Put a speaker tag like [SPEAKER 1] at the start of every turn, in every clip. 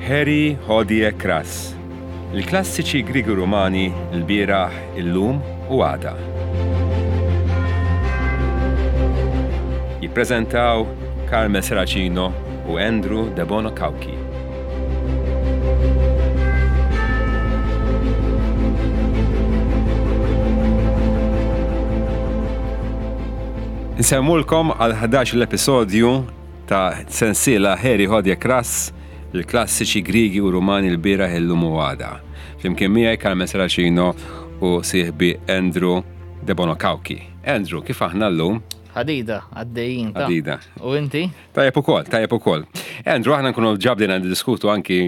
[SPEAKER 1] Harry Hodie Kras, il-klassiċi Griegi Rumani l-bieraħ, illum u għada. Jippreżentaw Carmel Serracino u Andrew Debono Cauchi. Nsemmulkom għal 11 l-episodju ta' sensiela Harry Hodje Kras, il-klassiċi Griegi u Rumani l-bieraħ illum u għada. Flimkien miegħi Carmen Serracino u sieħbi Andrew Debono Cauchi. Andrew, kif aħna llum?
[SPEAKER 2] Ħadida, għaddejjin.
[SPEAKER 1] Ħadida.
[SPEAKER 2] U inti?
[SPEAKER 1] Tajjeb ukoll, tajjeb ukoll. Andrew, aħna nkunu ġabdina niddiskutu anki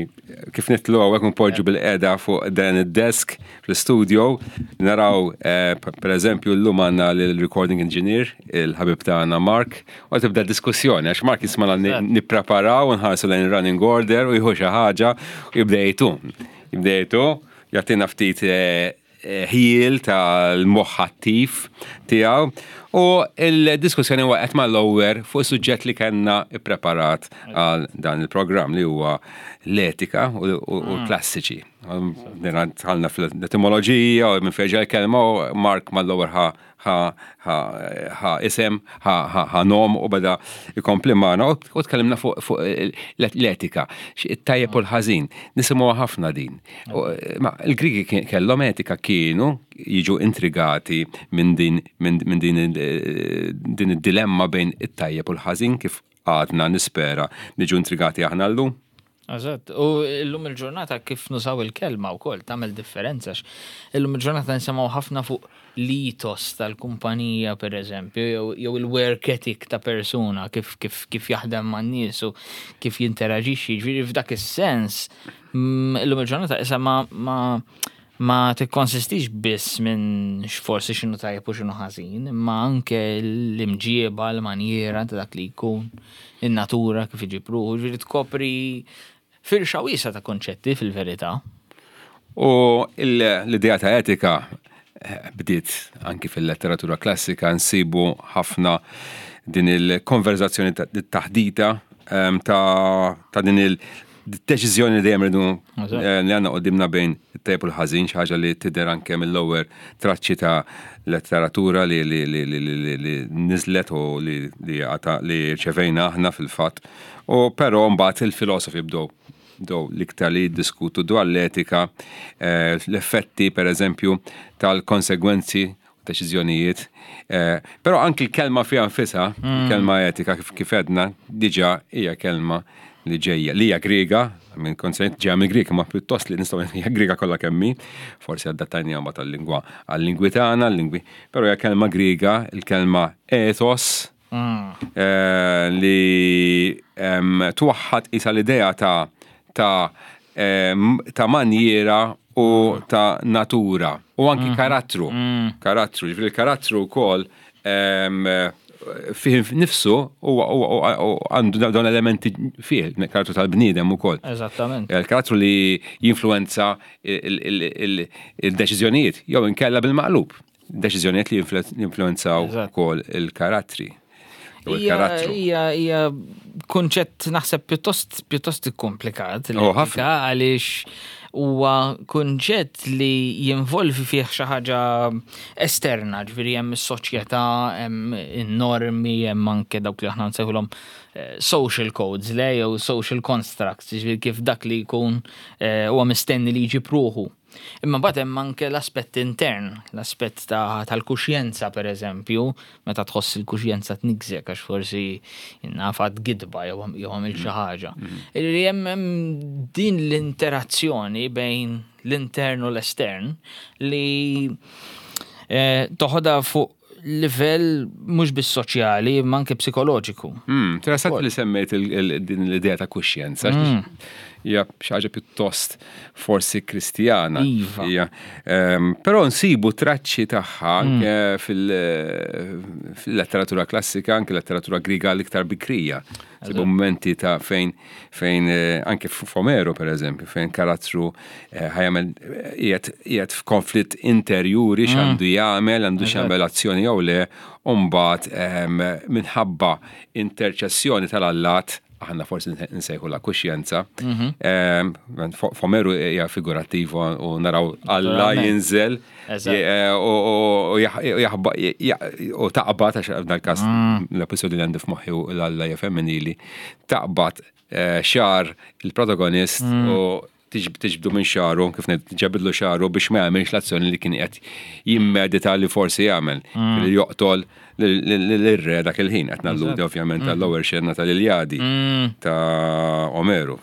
[SPEAKER 1] kif nitlu hawnhekk npoġġu bil-qeda fuq dan id-desk fl-studio. Naraw, eh, per eżempju, llum għandna l-recording engineer, il-ħabib tagħna Mark, u tibda diskussjoni għax Mark jismana nippreparaw u nħarsu lejn running order u jieħu xi ħaġa u jibda jgħidu. Jibda jgħidu, jagħtina ftit eh, ħjiel tal-moħħ attiv tiegħu u l-diskussjoni waqgħet mal-lower fuq suġġett li kellna ippreparat għal dan il-programm li huwa l-etika u l-klassiċi. Dħalna fl-etimoloġija u minn fejn ġej il-kelma u Mark mal-lower ħa ħa isem, ħa nom u beda jkompli magħna u tkellimna fuq l-etika, it-tajjeb u l-ħażin. Nisimgħu ħafna din. Ma il-Grigi kellhom etika kienu jiġu intrigati minn din minn din din id-dilemma bejn it-tajjeb u l-ħażin kif għadna nispera niġu intrigati aħna llum.
[SPEAKER 2] Eżatt, u llum il-ġurnata kif nużaw il-kelma wkoll tagħmel differenza illum il-ġurnata nisimgħu ħafna fuq l-ethos tal-kumpanija pereżempju jew il-work ethic ta' persuna kif kif kif jaħdem man-nies u kif jinteraġixxi, jiġifieri f'dak is-sens illum il-ġurnata issa ma ma ma tikkonsistix biss minn forsi x'inhu tajjeb u x'inhu ħażin, imma anke l-imġieba, l-manjiera ta' dak li jkun, in-natura kif iġib ruħu, ġifieri tkopri firxa wiesgħa ta' konċetti fil-verità.
[SPEAKER 1] U l-idea ta' etika eh, bdiet anki fil-letteratura klassika nsibu ħafna din il-konverzazzjoni ta' taħdita ehm, ta' din il- Deċiżjoni li dejjem rridu eh, li għandna qudiemna bejn it-tajjeb u l-ħażin, xi ħaġa li tidher anke mill-ewwel traċċi ta' letteratura li li li li li li niżlet u li li li rċevejna aħna fil-fatt. U però mbagħad il-filosofi bdew bdew l-iktar li jiddiskutu dwar l-etika, eh, l-effetti pereżempju tal-konsegwenzi deċiżjonijiet. Eh, però anki l-kelma fiha nfisha, mm. kelma etika kif kif edna, diġà hija kelma li ġejja, li hija Griega, minn konsent ġejja minn Griega, ma pjuttost li nistgħu hija Griega kollha kemmi, forsi adattajniha mbagħad għal-lingwa għal-lingwi tagħna, l-lingwi, però hija kelma Griega, il-kelma ethos, mm. eh, li twaħħad isa l-idea ta' ta' ta' manjiera u ta' natura u anki mhm. karattru. Mm. Karattru, ġifieri karattru wkoll fih nifsu u għandu dawn elementi fih, karattru tal-bniedem ukoll.
[SPEAKER 2] Eżattament.
[SPEAKER 1] Il-karattru li jinfluenza il-deċiżjonijiet jew inkella bil-maqlub. Deċiżjonijiet li jinfluenzaw ukoll il-karattri.
[SPEAKER 2] Hija hija kunċett naħseb pjuttost pjuttost ikkomplikat. Oh, għaliex huwa kunċett li jinvolvi fih xi ħaġa esterna, ġifieri hemm is-soċjetà, hemm in-normi, hemm anke dawk li aħna nsejħulhom eh, social codes, le jew social constructs, ġifieri kif dak li jkun eh, huwa mistenni li jġib ruħu. Imma mbagħad hemm anke l-aspett intern, l-aspett tal-kuxjenza pereżempju, meta tħoss il-kuxjenza tniggżek għax forsi naf għad gidba jew għamilt xi ħaġa. Li hemm din l-interazzjoni bejn l-intern u l-estern li eh, toħodha fuq livell mhux biss soċjali imma anke psikoloġiku.
[SPEAKER 1] Hmm, interessanti li semmejt din l-idea ta' kuxjenza. Hmm. Hija xi ħaġa pjuttost forsi kristjana.
[SPEAKER 2] Iva.
[SPEAKER 1] Ehm, però nsibu traċċi tagħha hmm. anke fil-letteratura klassika, anke letteratura griga l-iktar bikrija. Sibu momenti ta' fejn fejn eh, anke f'Omero per eżempju, fejn karattru eh, ħajamel eh, qiegħed f'konflitt interjuri mm. x'għandu jagħmel, għandu x'jagħmel azzjoni jew le, u mbagħad ehm, minħabba interċessjoni tal-allat mm. aħna forsi nsejħu la kuxjenza. Mhm. Ehm, F'Omeru hija figurattiva u naraw Alla jinżel eh, u taqbad, għax f'dan każ mm. l-episodju li għandi f'moħħi u l-Alla hija femminili, taqbad eh, xar il-protagonist mm. u tiġbdu minn xagħru, kif ngħid, ġebidlu xagħru biex ma jagħmilx l-azzjoni li kien qed jimmedita li forsi jagħmel, mm. li joqtol l-irre dak il-ħin, qed nalludi ovvjament mm. tal-lower xena tal-Iljadi mm. ta' Omeru.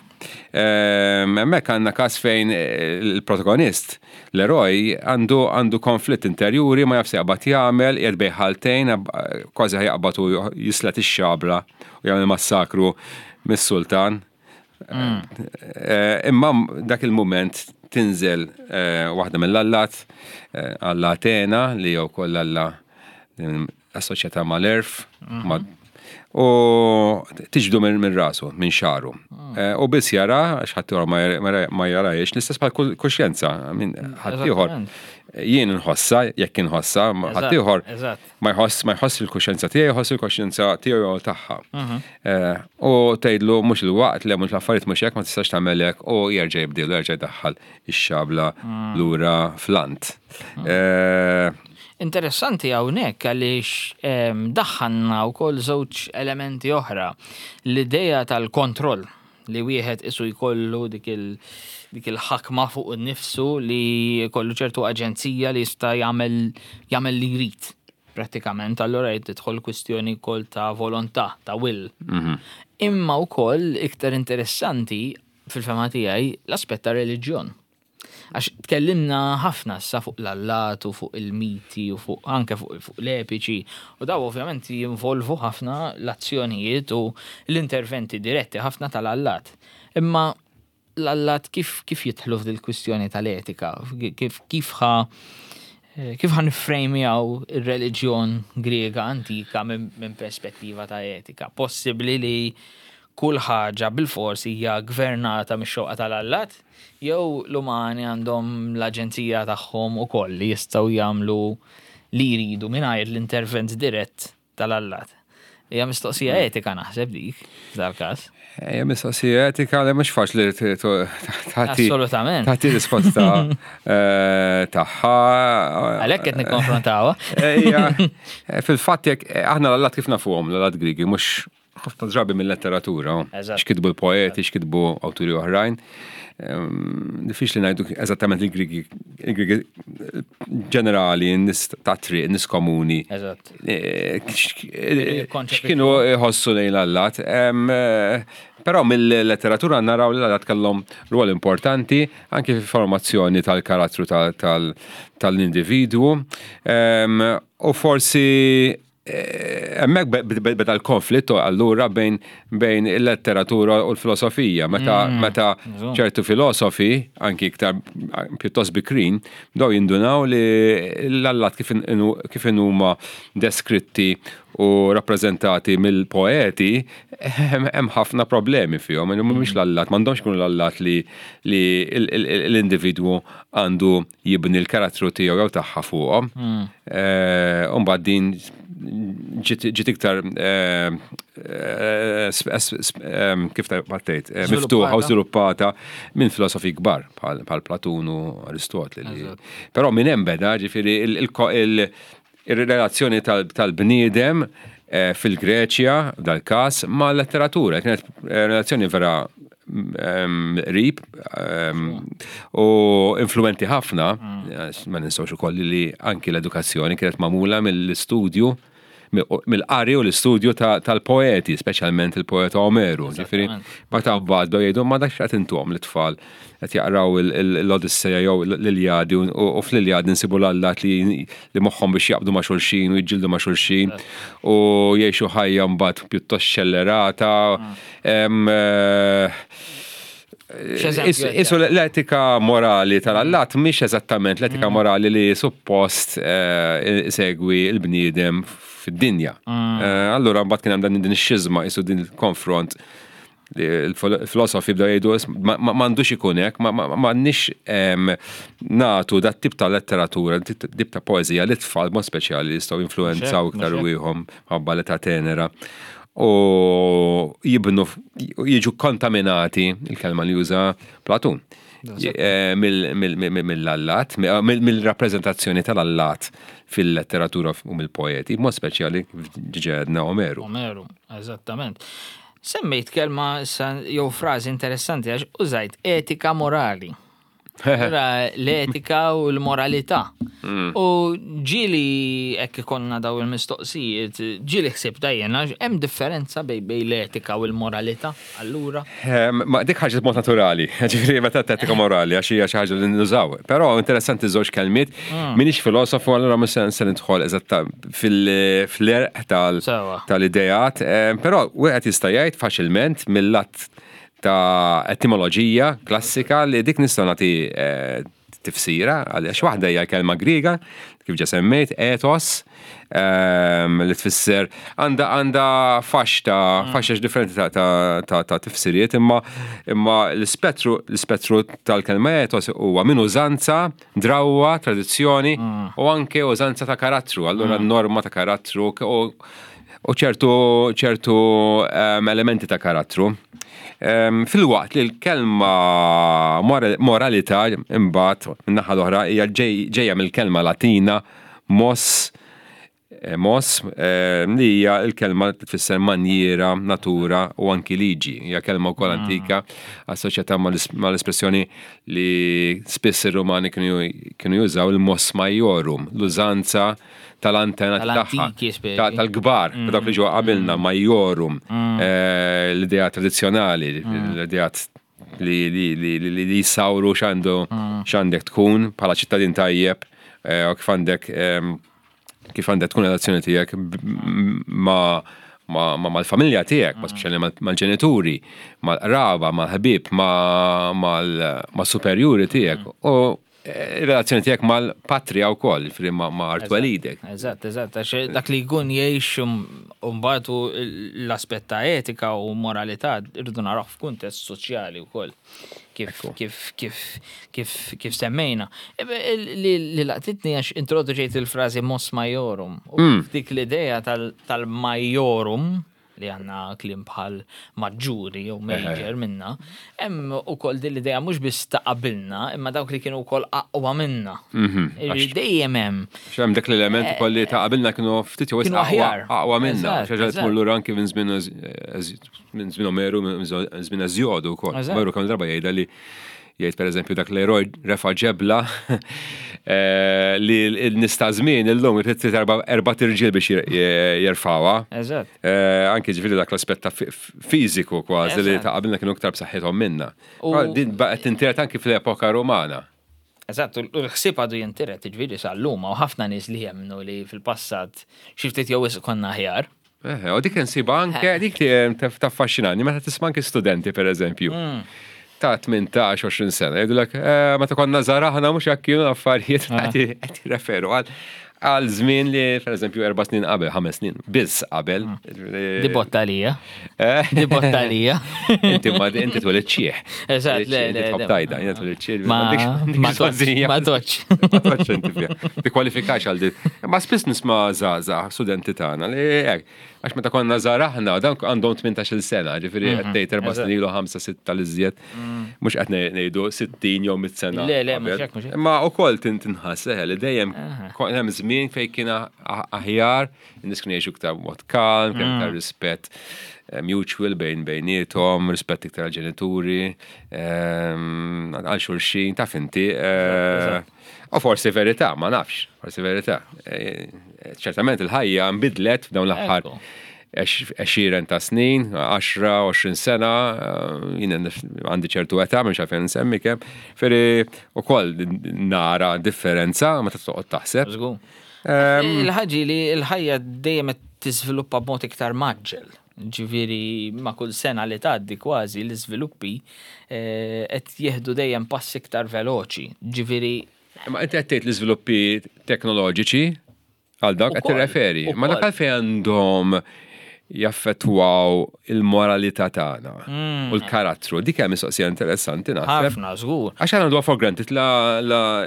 [SPEAKER 1] Ehm, hemmhekk għandna każ fejn eh, il-protagonist, l-eroj, għandu għandu konflitt interjuri ma jafx jaqbad jagħmel, qiegħed bejn ħaltejn, kważi ħajaqbad u jislet ix-xabla u jagħmel massakru mis-sultan. Mm. Eh, imma dak il-moment tinżel eh, waħda mill-allat, eh, Alla Atena li jew koll Alla assoċjata mal-erf, mhm. u tiġdu minn rasu, minn xaru. Mm. U biss jara, għax ħadd ma jarajx, l-istess bħal kuxjenza, minn ħaddieħor. Jien nħossa, jekk inħossa, ħaddieħor ma jħoss ma jħoss il-kuxjenza tiegħi, jħoss il-kuxjenza tiegħu jew tagħha. Mhm. Eh, u tgħidlu mhux il-waqt le mhux l-affarijiet mhux hekk ma tistax tagħmel hekk u jerġa' jibdilu jerġa' jdaħħal ix-xabla mm. lura flant. Mm.
[SPEAKER 2] Eh, Interessanti hawnhekk għaliex ehm, daħħalna wkoll żewġ elementi oħra. L-idea tal-kontroll li wieħed isu jkollu dik il dik il-ħakma fuq innifsu li jkollu ċertu aġenzija li jista' jagħmel jagħmel li jrid prattikament, allura jrid tidħol kwistjoni wkoll ta' volontà, ta' will. Mhm. Imma wkoll iktar interessanti fil-fema tiegħi l-aspett ta' reliġjon. Għax tkellimna ħafna issa fuq l-allat u fuq il-miti u fuq anke fuq, fuq l-epiċi u daw ovvjament jinvolvu ħafna l-azzjonijiet u l-interventi diretti ħafna tal-allat. Imma l-allat kif, kif jidħlu f'dil kwistjoni tal-etika? Kif, kif ħa kif ħa nifrejmjaw ir-reliġjon Griega antika minn min perspettiva ta' etika? Possibbli li kull ħaġa bilfors hija gvernata mix-xewqa tal-allat? Jew l-umani għandhom l-aġenzija tagħhom ukoll li jistgħu jagħmlu li jridu mingħajr l-intervent dirett tal-allat? Hija mistoqsija mm. etika naħseb dik, f'dal-każ.
[SPEAKER 1] Hija mistoqsija etika li mhux faċli
[SPEAKER 2] tagħti. Assolutament.
[SPEAKER 1] Tagħti risposta eh, tagħha.
[SPEAKER 2] Għalhekk qed nikkonfrontawha.
[SPEAKER 1] Eh, fil-fatt jekk eh, aħna l-allat kif nafuhom l-allat Grigi mhux ħafna drabi mill-letteratura, x'kitbu l-poeti, x'kitbu awturi oħrajn. Ehm, diffiċli ngħidu eżattament il-Grigi, il-Grigi ġenerali, n-nies ta' triq, n-nies komuni. Eh, eh, x'kienu jħossu lejn l-allat. Ehm, eh, però mill-letteratura naraw li l-allat kellhom rwol importanti anke fil-formazzjoni tal-karattru tal-individwu. Ehm, u forsi Hemmhekk beda l-konflitt allura bejn bejn il-letteratura u l-filosofija. Meta mm, meta ċertu filosofi, anki iktar pjuttost bikrin, bdew jindunaw li l-allat kif huma deskritti u rappreżentati mill-poeti, hemm ħafna problemi fihom. Mhumiex mm. l-allat, m'għandhomx ikunu l-allat li l-individwu għandu jibni l-karattru tiegħu jew tagħha fuqhom. Hmm. Eh, u mbagħad din ġiet iktar eh, eh, kif tgħid miftuħa u żviluppata minn filosofi kbar bħal Platun u Aristotli. Però minn hemm beda ġifieri il-relazzjoni tal-bniedem fil-Greċja, dal-każ, ma' letteratura. Kienet relazzjoni vera qrib u influenti ħafna, mm. ma ninsawx ukoll li anki l-edukazzjoni kienet magħmula mill-istudju mill-qari u l-istudju tal-poeti, speċjalment il-poeta Omeru. Ġifieri, meta mbagħad bdew jgħidu ma dak x'qed intuhom l-itfal qed jaqraw l-Odisseja jew l-Iljadi u fl-Iljadi nsibu l-allat li moħħhom biex jaqbdu ma' xulxin u jiġġieldu ma' xulxin u jgħixu ħajja mbagħad pjuttost xellerata. Mm. Eh, isu l-etika morali tal-allat mhix eżattament l-etika mm. morali li suppost eh, segwi l-bniedem fid-dinja. Mm. Eh, allura mbagħad kien hemm dan din ix-xiżma isu din il-konfront il-filosofi bdew jgħidu m'għandux ikun hekk, m'għandniex nagħtu dat tip ta' letteratura, tip ta' poeżija li tfal mod speċjali jistgħu jinfluwenzaw iktar wieħom ħabba l-età tenera. u jibnu jiġu kontaminati, il-kelma li juża Platun, eh, mill-allat, mill-rappreżentazzjoni tal-allat fil-letteratura u mill-poeti, mod speċjali ġedna Omeru.
[SPEAKER 2] Omeru, eżattament. Semmejt kelma jew frażi interessanti għax użajt etika morali. Ra l-etika u l-moralità. U ġieli hekk ikollna daw il-mistoqsijiet, ġieli ħsib dajjena, hemm differenza bej bej l-etika u l-moralità allura?
[SPEAKER 1] Ma dik ħaġa mod naturali, ġifieri meta etika morali għax hija xi ħaġa li nużaw. Però interessanti żewġ kelmiet, mm. minix filosofu allura mhux se nidħol eżatta fil-erq tal-ideat, però wieħed jista' jgħid faċilment mill-lat ta' etimoloġija klassika li dik nistgħu nagħti eh, tifsira għaliex waħda hija kelma Griega kif ġa semmejt ethos ehm, li tfisser għandha għandha fax ta' mm. faxex differenti ta' ta' ta' tifsiriet imma imma l-ispettru l-ispettru tal-kelma ethos huwa minn użanza, drawwa, tradizzjoni mm. u anke użanza ta' karattru, allura mm. norma ta' karattru u u ċertu ċertu ehm, elementi ta' karattru. Ehm, filwaqt li l-kelma moralità imbagħad min-naħa l-oħra hija ġejja mill-kelma Latina mos eh, mos ehm, li hija l-kelma li tfisser manjiera, natura u anki liġi. Hija kelma wkoll mm. antika assoċjata mal-espressjoni li spiss ir-Rumani kienu jużaw il-mos majorum, l-użanza tal-antena tagħha. Tal-kbar, mm. dawk li ġew qabilna, mm. majorum, mm. eh, l-idea tradizzjonali, l-idea li li li jisawru x'għandu x'għandek tkun bħala ċittadin tajjeb eh, u kif għandek ehm, kif għandek tkun relazzjoni tiegħek ma' mal-familja tiegħek, ma speċjali mal-ġenituri, mal-qraba, mal-ħbieb, mal-superjuri tiegħek. U Ir-relazzjoni tiegħek mal-patrija wkoll, jiġifieri ma' art twelidek.
[SPEAKER 2] Eżatt, eżatt, għax dak li jkun jgħix mbagħad u l-aspett ta' etika u moralità rridu narawh f'kuntest soċjali wkoll. Kif kif kif kif kif semmejna. Li laqtitni għax introduċejt il-frażi mos majorum. U mm. dik l-idea tal-majorum li għandna kliem bħal maġġuri jew major minna, hemm ukoll din l-idea mhux biss ta' qabilna, imma dawk li kienu wkoll aqwa minna. Mhm. Dejjem hemm.
[SPEAKER 1] Hemm dak l-element ukoll li ta' qabilna kienu ftit jew aqwa minna. Xi ħaġa tmur lura anki minn żmien minn żmien Omeru, minn żmien Eżjodu wkoll. Omeru kemm darba jgħidha li Jgħid pereżempju dak l-eroj refa' ġebla eh, li n-nies ta' żmien illum irid erba' tirġiel biex jerfawha.
[SPEAKER 2] Eżatt.
[SPEAKER 1] Eh, anki ġifieri dak l-aspett ta' fiżiku kważi li ta' qabilna kienu iktar b'saħħithom minna. Din baqgħet tintiret anki fl-epoka Rumana.
[SPEAKER 2] Eżatt, u l-ħsieb għadu jintiret, ġifieri sal-lum u ħafna nies li jemmnu li fil-passat xi ftit jew wisq konna aħjar.
[SPEAKER 1] Eh, u dik insiba anke, dik li eh, taffaxxinani, meta tisma' anke studenti per eżempju. Mm. Ta' 18-20 sena, jgħidulek, eh, meta konna żgħar aħna mhux hekk kienu affarijiet ah. qed jirreferu għal għal żmien li per eżempju erba' snin qabel, ħames snin, biss qabel.
[SPEAKER 2] Mm. Di botta lija. Di botta lija.
[SPEAKER 1] Inti ma inti twelid ċieħ.
[SPEAKER 2] Eżatt, le, le.
[SPEAKER 1] Tħobb tajda, jiena twelid ċieħ.
[SPEAKER 2] Ma ma toċ.
[SPEAKER 1] Ma toċ inti fiha. Tikkwalifikax għal din. Ma spiss nisma' żgħażagħ studenti tagħna li hekk. Għax meta konna żgħar aħna, dan għandhom 18-il sena, ġifieri qed mhm. tgħid erba' snin ilu ħamsa sitta li żjed. Mm. Mhux qed ngħidu 60 jew 100 sena.
[SPEAKER 2] Le, le, mhux hekk, mhux
[SPEAKER 1] hekk. Imma wkoll tinħass eħe li dejjem hemm żmien fejn kien aħjar, in-nies kienu jgħixu iktar b'mod kalm, kien iktar mm. rispett eh, mutual bejn bejniethom, rispett iktar għal-ġenituri, ehm, għal xulxin, taf inti. Eh, u forsi verità, ma nafx, forsi verità. Eh, ċertament il-ħajja nbidlet f'dawn l-aħħar għexieren ta' snin, 10, 20 sena, jien għandi ċertu età, mhux għalfejn nsemmi kemm, ferri ukoll nara differenza meta toqgħod taħseb.
[SPEAKER 2] Il-ħaġi li l-ħajja dejjem qed tiżviluppa b'mod iktar maġġel. Ġifieri ma' kull sena li tgħaddi kważi l-iżviluppi eh, qed jieħdu dejjem pass iktar veloċi. Ġifieri
[SPEAKER 1] Ma inti qed tgħid l-iżviluppi teknoloġiċi għal dawk qed tirreferi. Ma dak għalfejn għandhom Jaffettwaw il-moralità tagħna u l-karattru. Dik hija mistoqsija interessanti naħseb.
[SPEAKER 2] Ħafna, żgur.
[SPEAKER 1] Għax aħna for granted la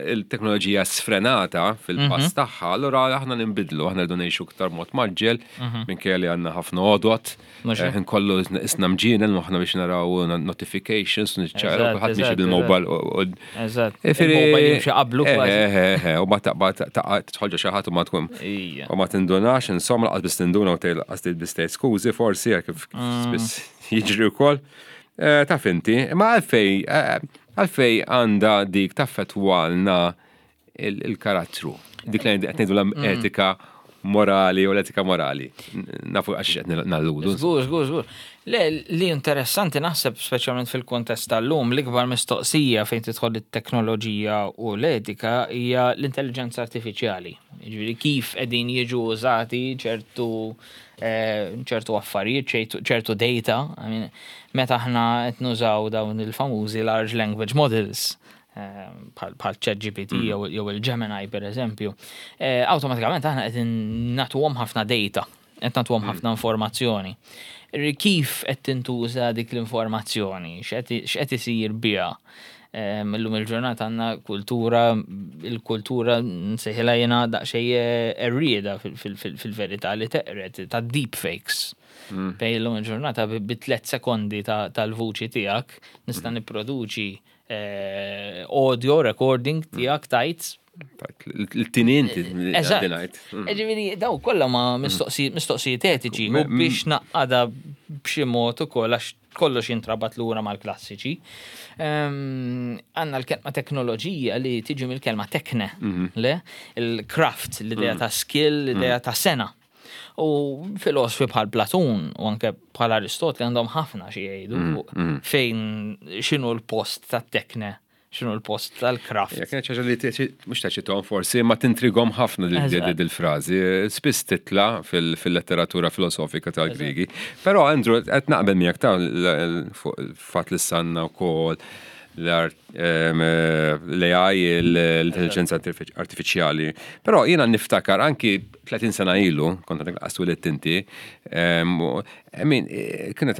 [SPEAKER 1] l-teknoloġija sfrenata fil-pass tagħha, allura aħna ninbidlu, aħna rridu ngħixu iktar mod mgħaġġel, minkejja li għandna ħafna għodod. Ħin kollu isna mġienen aħna biex naraw notifications, niċċaraw, kulħadd miexi bil-mobile.
[SPEAKER 2] Eżatt. Il-mobile jimxi qablu kważi.
[SPEAKER 1] U ma taqbad tħolġa xi ħadd u ma tkun. U ma tindunax, insomma, laqas biss tinduna u tgħid laqas biss tgħid skużi forsi kif spiss jiġri wkoll. Taf inti, imma għalfej għalfej għandha dik taffettwalna il-karattru. Dik li qed ngħidu l-etika morali u l-etika morali. Nafu għax qed nalludu.
[SPEAKER 2] Żgur, żgur, żgur. Le, li interessanti naħseb speċjalment fil-kontest tal-lum, l-ikbar mistoqsija fejn tidħol it-teknoloġija u l-etika hija l-intelligenza artifiċjali. Jiġifieri kif qegħdin jiġu użati ċertu ċertu affarijiet, ċertu data. I mean, meta aħna qed nużaw dawn il-famużi large language models, bħal ChatGPT jew il-Gemini per eżempju, awtomatikament aħna qed nagħtuhom ħafna data, qed nagħtuhom ħafna informazzjoni. Kif qed tintuża dik l-informazzjoni, x'qed isir biha? Illum il-ġurnata għandna kultura, il-kultura nsejħilha jiena daqsxejn errieda fil-verità li teqred ta' deepfakes. Fejn illum il-ġurnata bi 3 sekondi tal-vuċi tiegħek nista' nipproduċi audio recording tiegħek tajt.
[SPEAKER 1] Il-tinint
[SPEAKER 2] dinajt. Ġifieri, daw kollha ma mistoqsijiet etiċi u biex naqqada b'xi mod ukoll għax kollox jintrabat lura mal-klassiċi. Għandna l-kelma teknoloġija li tiġi mill-kelma tekne, le? Il-craft, l-idea ta' skill, l-idea ta' sena. U filosofi bħal Platun u anke bħal Aristotli għandhom ħafna xi jgħidu fuq fejn x'inhu l-post tat-tekne, x'inhu l-post tal-craft.
[SPEAKER 1] Ja, kienet ħaġa li mhux taċitom forsi, ma tintrigom ħafna dil-frażi. Spiss titla fil-letteratura filosofika tal-Grigi. Però Andrew, qed naqbel miegħek ta' fuq il-fatt li sanna wkoll l-AI, l-intelligenza artifiċjali. Però jiena niftakar anki 30 sena ilu, kont għadek laqas twilidt inti, I mean, kienet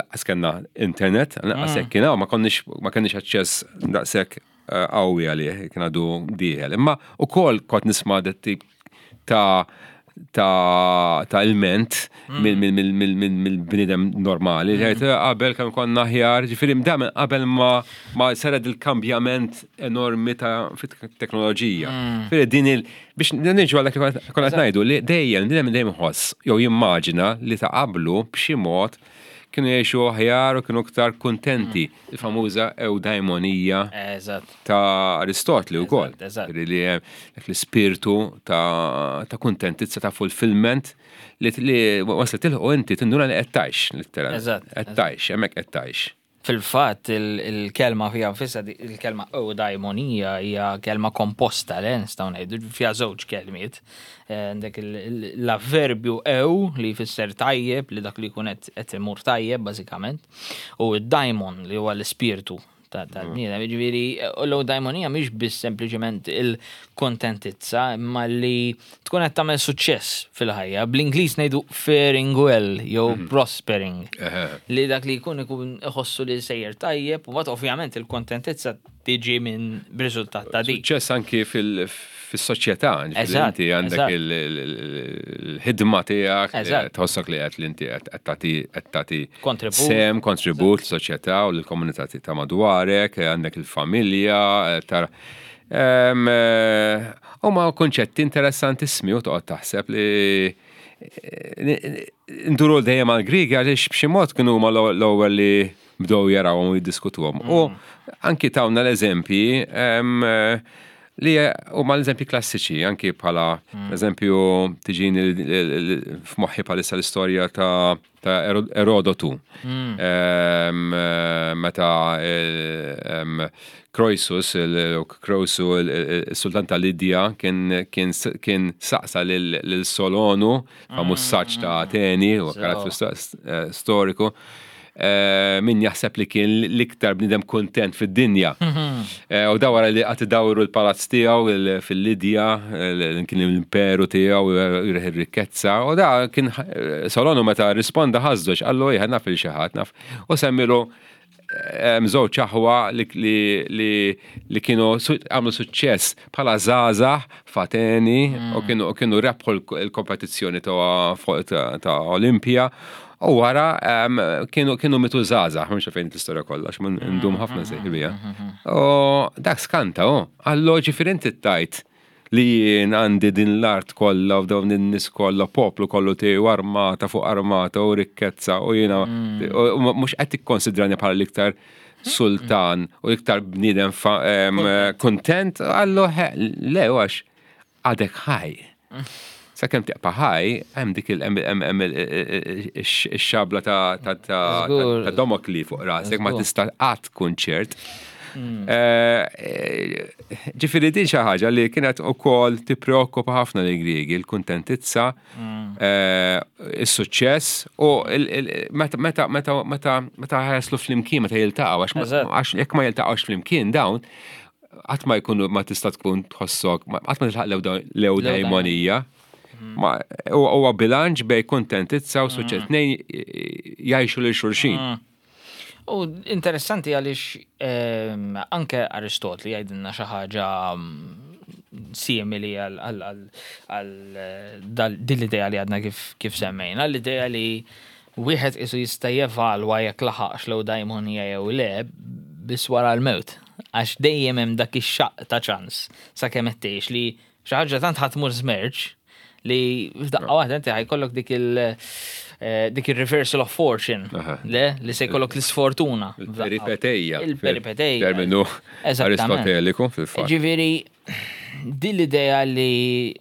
[SPEAKER 1] laqas kellna internet, laqas hekk kien hawn, ma kenniex aċċess daqshekk qawwi għalih, kien għadu dieħel. Imma ukoll kont nisma' dat tip ta' ilment mill-bniedem normali. Jgħid, qabel kemm konna aħjar, ġifieri dam qabel ma saret il-kambjament enormi ta' fit-teknoloġija. Ġifieri din il biex niġu għal dak li konna qed ngħidu li dejjem dejjem dejjem ħoss jew jimmaġina li ta' qablu b'xi mod kienu jgħixu aħjar u kienu iktar kuntenti. Il-famuża eudaimonija ta' Aristotli wkoll. Li hemm dak l-ispirtu ta' kuntentizza, ta' fulfillment li waslet tilħu inti tinduna li qed tgħix, letteralment. Qed tgħix, hemmhekk qed tgħix.
[SPEAKER 2] Fil-fatt il-kelma fiha nfisha, il-kelma eudaimonija hija kelma komposta, le nistgħu ngħidu fiha żewġ kelmiet. Għandek l-avverbju eu li jfisser tajjeb, li dak li jkun qed imur tajjeb bażikament, u d-daimon li huwa l-ispirtu tal-bniedem. Jiġifieri l-eudaimonija mhix biss sempliċement il-kontentizza, imma li tkun qed tagħmel suċċess fil-ħajja. Bl-Ingliż ngħidu faring well jew prospering. Li dak li jkun ikun iħossu li sejjer tajjeb, u mbagħad ovvjament il-kontentizza tiġi minn b'riżultat ta' dik.
[SPEAKER 1] Suċċess anki fis-soċjetà, ġifieri inti għandek il-ħidma tiegħek, tħossok li qed li inti qed tagħti
[SPEAKER 2] Kontribut.
[SPEAKER 1] sem, kontribut l-soċjetà u l-komunità ta' madwarek, għandek il-familja, tara. Huma konċetti interessantissimi u toqgħod taħseb li nduru dejjem għall-Griegi għaliex b'xi mod kienu huma l-ewwel li bdew jarawhom u jiddiskutuhom. U anki tawna l-eżempji li huma l-eżempji klassiċi, anki bħala eżempju tiġini f'moħħi bħalissa l-istorja ta' Erodotu. Meta Croesus, Croesu, il-sultan ta' Lidja, kien saqsa lil Solonu, famuż saċ ta' Ateni, u karattru storiku, min jaħseb li kien l-iktar bniedem kontent fid-dinja. Eh, u da wara li qatt idawru l-palazz tiegħu fil-Lidja, kien l-imperu tiegħu jirħ ir-rikkezza, u da kien eh, Solonu meta risponda ħażżoġ qallu ejja naf il xi ħadd naf. U semmilu żewġ aħwa li kienu għamlu suċċess bħala żgħażagħ f'Ateni u kienu kienu rebħu l-kompetizzjoni ta' Olimpja. U wara kienu kienu mitu żgħażagħ, mhux fejn l-istorja kollha, għax ndum ħafna sejħi bija. U dak skanta, oh, għallu ġifieri inti tajt li jien għandi din l-art kollha u dawn in-nies kollha, poplu kollu tiegħi armata fuq armata u rikkezza u jiena mm. mhux qed tikkonsidrani bħala l-iktar sultan u iktar bniedem kontent, għallu le għax għadek ħaj. Sakemm tibqa' ħaj, hemm dik il-xabla ta' Damokli fuq rasek, ma tista' qatt tkun ċert. Mm. Eh, ġifieri din xi ħaġa li kienet ukoll tippreokkupa ħafna li Griegi, il-kuntentizza, mm. eh, is-suċċess u meta meta meta meta meta ħaslu flimkien meta jiltaqgħu għax jekk ma jiltaqgħux flimkien dawn qatt ma jkunu ma tista' tkun tħossok, qatt ma tilħaq l-ewdajmonija. Mm. Huwa bilanċ bej kuntentizza u suċċess. Mm. Tnejn jgħixu lil xulxin. Mm.
[SPEAKER 2] U interessanti għaliex ehm, anke Aristotli jgħidilna xi ħaġa simili għal din l-idea li għadna kif semmejna, l-idea li Wieħed qisu jista' jevalwa jekk laħaqx l-ewdaimonija jew le biss wara l-mewt, għax dejjem hemm dak ix-xaqq ta' ċans sakemm qed tgħix li xi ħaġa tant ħa tmur żmerġ li f'daqqa waħda inti ħa jkollok dik il dik ir-reversal of fortune, le? Li se jkollok l-isfortuna.
[SPEAKER 1] Il-peripeteja.
[SPEAKER 2] Il-peripeteja.
[SPEAKER 1] Terminu Aristoteliku fil-fatt.
[SPEAKER 2] Ġifieri din l-idea li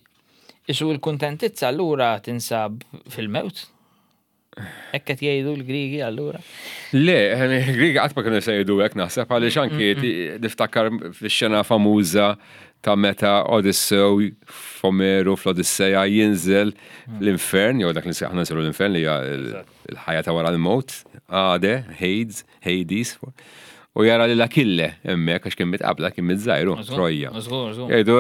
[SPEAKER 2] Isu l-kuntentizza allura tinsab fil-mewt? Hekk qed jgħidu l-Griegi allura?
[SPEAKER 1] Le, il-Griegi qatt ma kienu se jgħidu hekk naħseb għaliex anki mm, niftakar fix-xena famuża ta' meta Odyssew f'Omeru fl-Odisseja jinżel mm. l-infern, jew dak li aħna nsiru l-infern li hija l-ħajja ta' wara l-mewt, Ade, Hades, Hades, u jara lil Akille hemmhekk għax kien mitqabla kien miżżajru Trojja. Jgħidu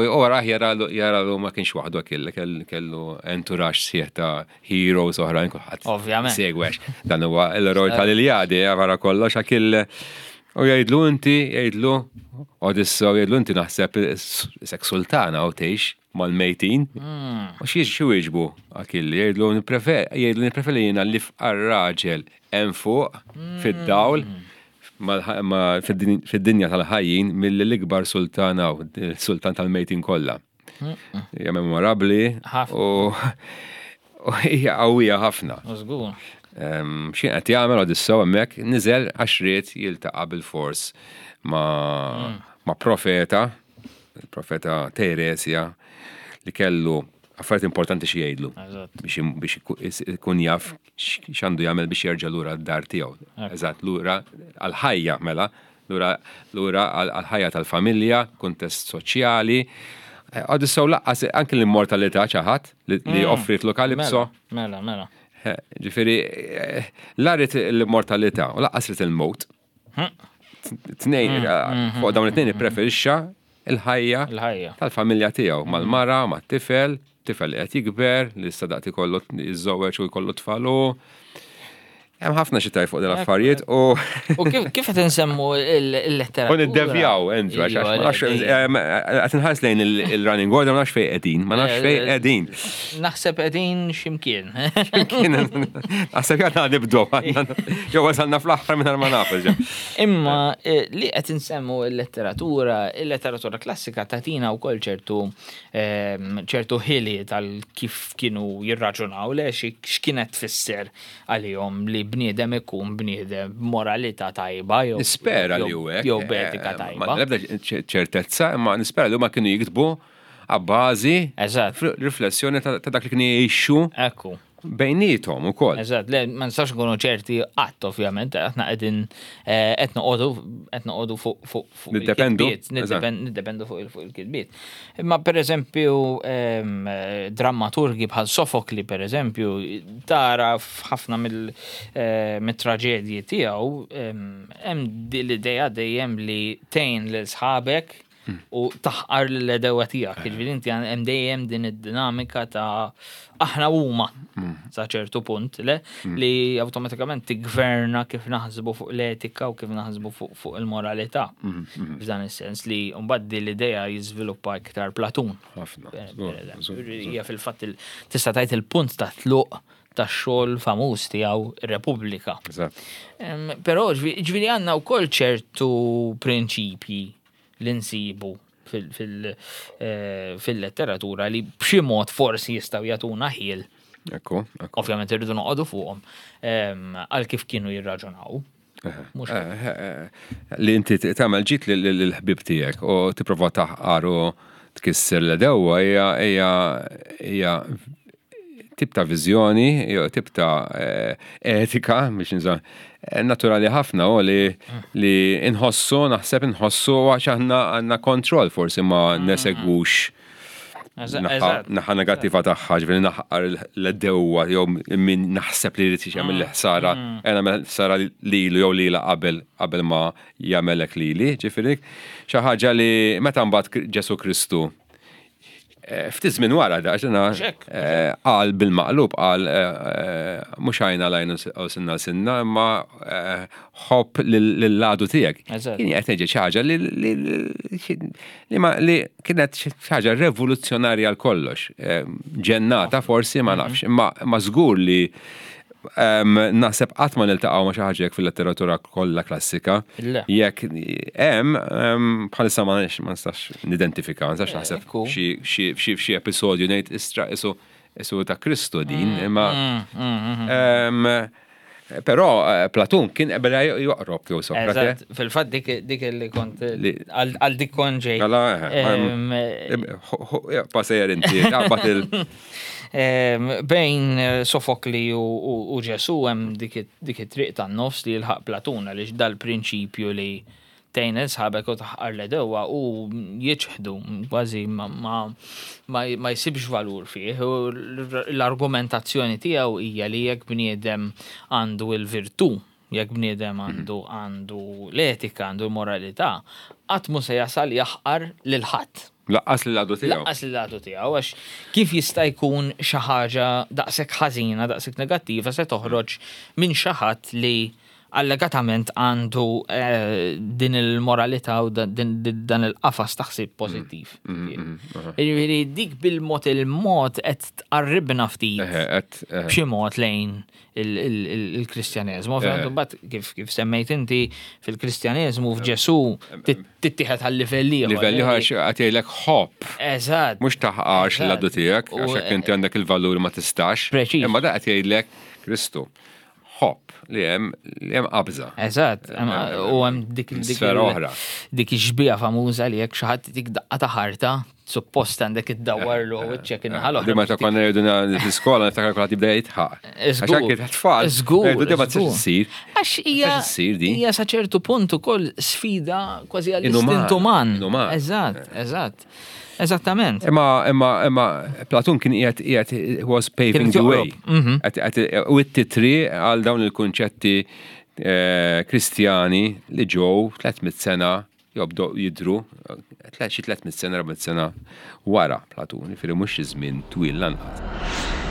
[SPEAKER 1] u raħ jara lu ma kienx waħdu Akille kellu entourage sħiħ ta' heroes oħrajn kulħadd.
[SPEAKER 2] Ovvjament.
[SPEAKER 1] Segwex. Dan huwa l-eroj tal-Iljadi wara kollox Akille. U jgħidlu inti, jgħidlu Odissew jgħidlu inti naħseb sek sultana u tgħix mal-mejtin. Hmm. U xie xi wieġbu Akilli jgħidlu nipprefer jgħidlu nippreferi jiena li fqar raġel hemm fuq hmm. fid-dawl fid-dinja tal-ħajjin milli l-ikbar sultan hawn, sultan tal-mejtin kollha. Hmm. Hija memorabbli u hija qawwija ħafna. X'kien qed jagħmel Odissew hemmhekk niżel għax ried jiltaqa' bil-fors ma' profeta il-profeta Teresja li kellu affarijiet importanti xi jgħidlu biex ikun jaf x'għandu jagħmel biex jerġa' lura d-dar tiegħu. Eżatt, lura għall-ħajja mela, lura lura għall-ħajja tal-familja, kuntest soċjali. Odissew laqqas anke l-immortalità ċaħad li mm. offritlu Kalipso.
[SPEAKER 2] Mela, mela.
[SPEAKER 1] Ġifieri, eh, la rid l-immortalità u laqqas rid il-mowt. Tnejn, mm, mm, fuq dawn it-tnejn ippreferixxa il-ħajja tal-familja tiegħu mal-mara, mat-tifel, tifel li qed jikber, li issa daqt ikollu jiżżewweġ u jkollu tfalu. Hemm ħafna xi tajt fuq dil affarijiet u.
[SPEAKER 2] U kif qed insemmu l-letteratura?
[SPEAKER 1] U niddevjaw, Andrew, għax qed inħares lejn il-running order ma nafx fejn qegħdin, ma nafx fejn qegħdin.
[SPEAKER 2] Naħseb qegħdin x'imkien.
[SPEAKER 1] X'imkien. Naħseb għadna nibdu. Jew wasalna fl-aħħar minn ma naf.
[SPEAKER 2] Imma eh, li qed insemmu l-letteratura, il-letteratura klassika tagħtina wkoll ċertu ehm, ċertu ħili tal kif kienu jirraġunaw le x'kienet tfisser għalihom li bniedem ikun bniedem b'moralità tajba jew
[SPEAKER 1] Nispera li hu hekk.
[SPEAKER 2] Jew b'etika eh, tajba.
[SPEAKER 1] Ma nebda ċertezza, imma nispera li huma kienu jiktbu għabbażi
[SPEAKER 2] Eżatt.
[SPEAKER 1] riflessjoni ta' dak li kienu jgħixu.
[SPEAKER 2] Ekku.
[SPEAKER 1] bejniethom ukoll.
[SPEAKER 2] Eżatt, le ma nistax nkunu ċerti qatt ovvjament, aħna qegħdin eh, qed noqogħdu qed noqogħdu fuq fuq fuq
[SPEAKER 1] Niddependu,
[SPEAKER 2] niddependu fuq fuq il-kitbiet. Imma pereżempju ehm, drammaturgi bħal Sofokli pereżempju tara f'ħafna eh, mill-traġedji tiegħu ehm, hemm l-idea dejjem li tgħin lil sħabek u taħqar l-edewa tiegħek. Jiġifieri inti hemm dejjem din id-dinamika ta' aħna huma mm. sa ċertu punt le mm. li awtomatikament tiggverna kif naħsbu fuq l-etika u kif naħsbu fuq il-moralità. Mm, F'dan is-sens li mbagħad din l-idea jiżviluppa iktar Platun. Hija fil-fatt tista' tgħid il-punt ta' tluq tax-xogħol famuż tiegħu Repubblika. Però ġifieri għandna wkoll ċertu prinċipji li nsibu fil-letteratura li b'xi mod forsi jistgħu jagħtuna ħiel.
[SPEAKER 1] Ekku, ekku.
[SPEAKER 2] Ovvjament irridu noqogħdu fuqhom għal kif kienu jirraġunaw.
[SPEAKER 1] Li inti tagħmel ġid lill-ħbieb tiegħek u tipprova taħqar u tkisser l-edewwa hija hija tip ta' viżjoni, jew tip ta' eh, etika, biex nża, eh, naturali ħafna u li li inħossu, naħseb inħossu għax aħna għandna kontroll forsi ma mm. nesegwux naħa negattiva tagħha, ġifieri naħqar l-dewwa jew min naħseb li jrid jagħmel mm. ħsara, mm. għena mela ħsara lilu jew lila qabel qabel ma jagħmelek lili, ġifieri xi ħaġa li meta mbagħad Ġesu Kristu Eh, ftit żmien wara da, ġena eh, qal bil-maqlub qal eh, mhux għajna lajn u sinna sinna imma ħobb lill-għadu tiegħek. Kien qed ngħid xi ħaġa li li kienet xi ħaġa revoluzzjonarja għal kollox. Ġennata forsi ma mhm. nafx, imma żgur li Naħseb qatt ma niltaqgħu ma' xi ħaġa hekk fil-letteratura kollha klassika. Jekk hemm bħalissa ma nistax nidentifika, ma nistax eh, naħseb xi episodju ngħid istra isu isu ta' Kristu din, mm, imma mm, mm, Però eh, Platun kien qabel joqrob jew
[SPEAKER 2] Sokrate. Fil-fatt dik li kont għal dik kont ġej.
[SPEAKER 1] Mela, eh, Passer inti, qabad il.
[SPEAKER 2] Bejn eh, Sofokli u Ġesu hemm dik it-triq tan-nofs li jilħaq Platun għaliex dal-prinċipju li tgħin sħabek u taħqar l-edewwa u jiċħdu kważi ma jsibx valur fih. L-argumentazzjoni tiegħu hija li jekk bniedem għandu l-virtù, jekk bniedem għandu għandu l-etika, għandu l-moralità, qatt mhu se jasal jaħqar lil ħadd.
[SPEAKER 1] Laqqas lill-għadu tiegħu.
[SPEAKER 2] Laqqas lill-għadu tiegħu għax kif jista' jkun xi ħaġa daqshekk ħażina, daqshekk negattiva se toħroġ minn xi ħadd li allegatament għandu eh, din il-moralità u dan il-qafas ta' ħsieb pożittiv. Mm, mm, mm, Jiġifieri dik bil-mod il-mod qed tqarribna ftit b'xi mod lejn il-Kristjaneżmu. Ovvjament imbagħad kif kif semmejt inti fil-Kristjaneżmu f'Ġesù tittieħed għal livell
[SPEAKER 1] ieħor. Livell ieħor għax qed jgħidlek ħobb.
[SPEAKER 2] Eżatt.
[SPEAKER 1] Mhux taħqarx l-għadu tiegħek għax hekk inti għandek il-valur ma tistax.
[SPEAKER 2] Preċiż.
[SPEAKER 1] Imma da qed jgħidlek Kristu. Ħobb li hemm li hemm qabża.
[SPEAKER 2] Eżatt, u hemm dik
[SPEAKER 1] dik oħra.
[SPEAKER 2] Dik ix-xbieha famuża li jekk xi ħadd dik daqqa ta' ħarta suppost għandek iddawwarlu wiċċek in-naħa
[SPEAKER 1] l-oħra. Meta konna jgħidu fl-iskola niftakar kulħadd jibda jitħaq. Għax anke tfal.
[SPEAKER 2] Żgur.
[SPEAKER 1] Jgħidu ma tistax issir.
[SPEAKER 2] Għax hija hija sa ċertu punt ukoll sfida kważi għall-istint uman. Eżatt, eżatt. Eżattament.
[SPEAKER 1] Imma imma imma Platun kien qiegħed qiegħed was paving the way. Mhm. U t-titri għal dawn il-kunċetti eh, Kristjani li ġew 300 sena jew bdew jidhru xi 300 sena, 400 sena wara Platun, jiġifieri mhux xi żmien twil lanqas.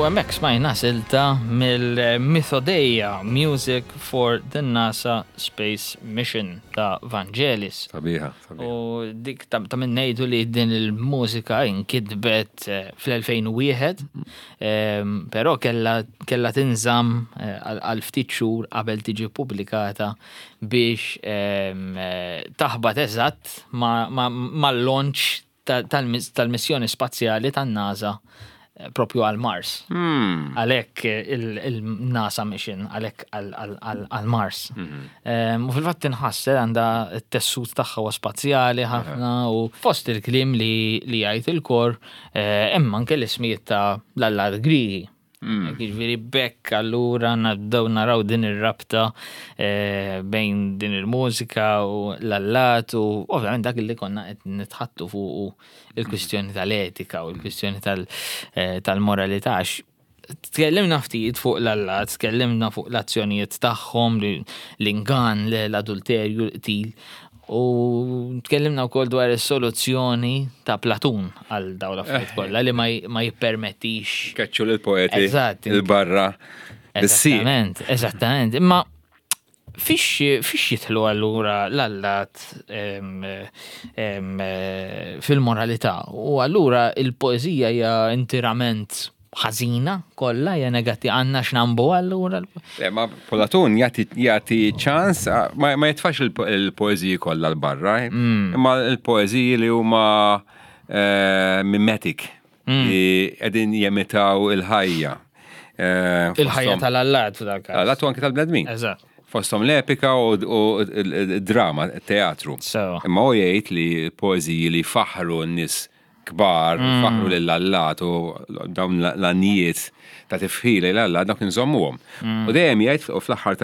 [SPEAKER 2] hemmhekk smajna silta mill-Mythodeia Music for the NASA Space Mission ta' Vangelis.
[SPEAKER 1] Sabiħa, sabiħa.
[SPEAKER 2] U dik ta' min ngħidu li din il-mużika inkitbet eh, fl-2001, ehm, però kella kella tinżamm eh, għal ftit xhur qabel tiġi pubblikata biex ehm, eh, taħbat eżatt mal-launch tal-missjoni spazjali tan-NASA eh, propju għal Mars.
[SPEAKER 1] Hmm.
[SPEAKER 2] Għalhekk eh, il-NASA mission, għalhekk għal Mars.
[SPEAKER 1] Hmm.
[SPEAKER 2] Ehm, u fil-fatt tinħass eh, għandha t-tessut tagħha huwa spazjali ħafna u fost il-kliem li jgħid il-kor hemm anke l-ismijiet ta' l-allat Grigi. Mm. Jiġifieri bekk allura nabdew naraw din ir-rabta eh, bejn din il-mużika u l-allat u ovvjament dak li konna qed nitħattu fuq il-kwistjoni tal-etika u l-kwistjoni eh, tal-moralità tkellimna ftit fuq l-allat, tkellimna fuq l-azzjonijiet tagħhom, l-ingan, l-adulterju, l-qtil. U tkellimna wkoll dwar is-soluzzjoni ta' Platun għal dawn l-affarijiet eh. kollha li ma jippermettix.
[SPEAKER 1] Keċċu lill-poeti il-barra.
[SPEAKER 2] Eżattament, eżattament. Imma fiex fiex jidħlu allura l-allat fil-moralità u allura il-poeżija hija intirament ħażina kollha hija negattiva għandna x'nambu allura.
[SPEAKER 1] Le, ma Platon jagħti ċans ma, ma jitfax il-poeżiji kollha l-barra, eh? mm. imma l-poeżiji li huma eh, mimetic mm. li qegħdin jemitaw il-ħajja.
[SPEAKER 2] Eh, il-ħajja tal-allat f'dak.
[SPEAKER 1] Allat u anke tal-bnedmin.
[SPEAKER 2] Eżatt.
[SPEAKER 1] Fosthom l-epika u d-drama, teatru. Imma u jgħid li poeżiji li faħru n-nies kbar, mm. faħru lill-allat u dawn l-għanijiet ta' tifħila l-alla dawk inżommuhom. Mm. U dejjem jgħid u fl-aħħar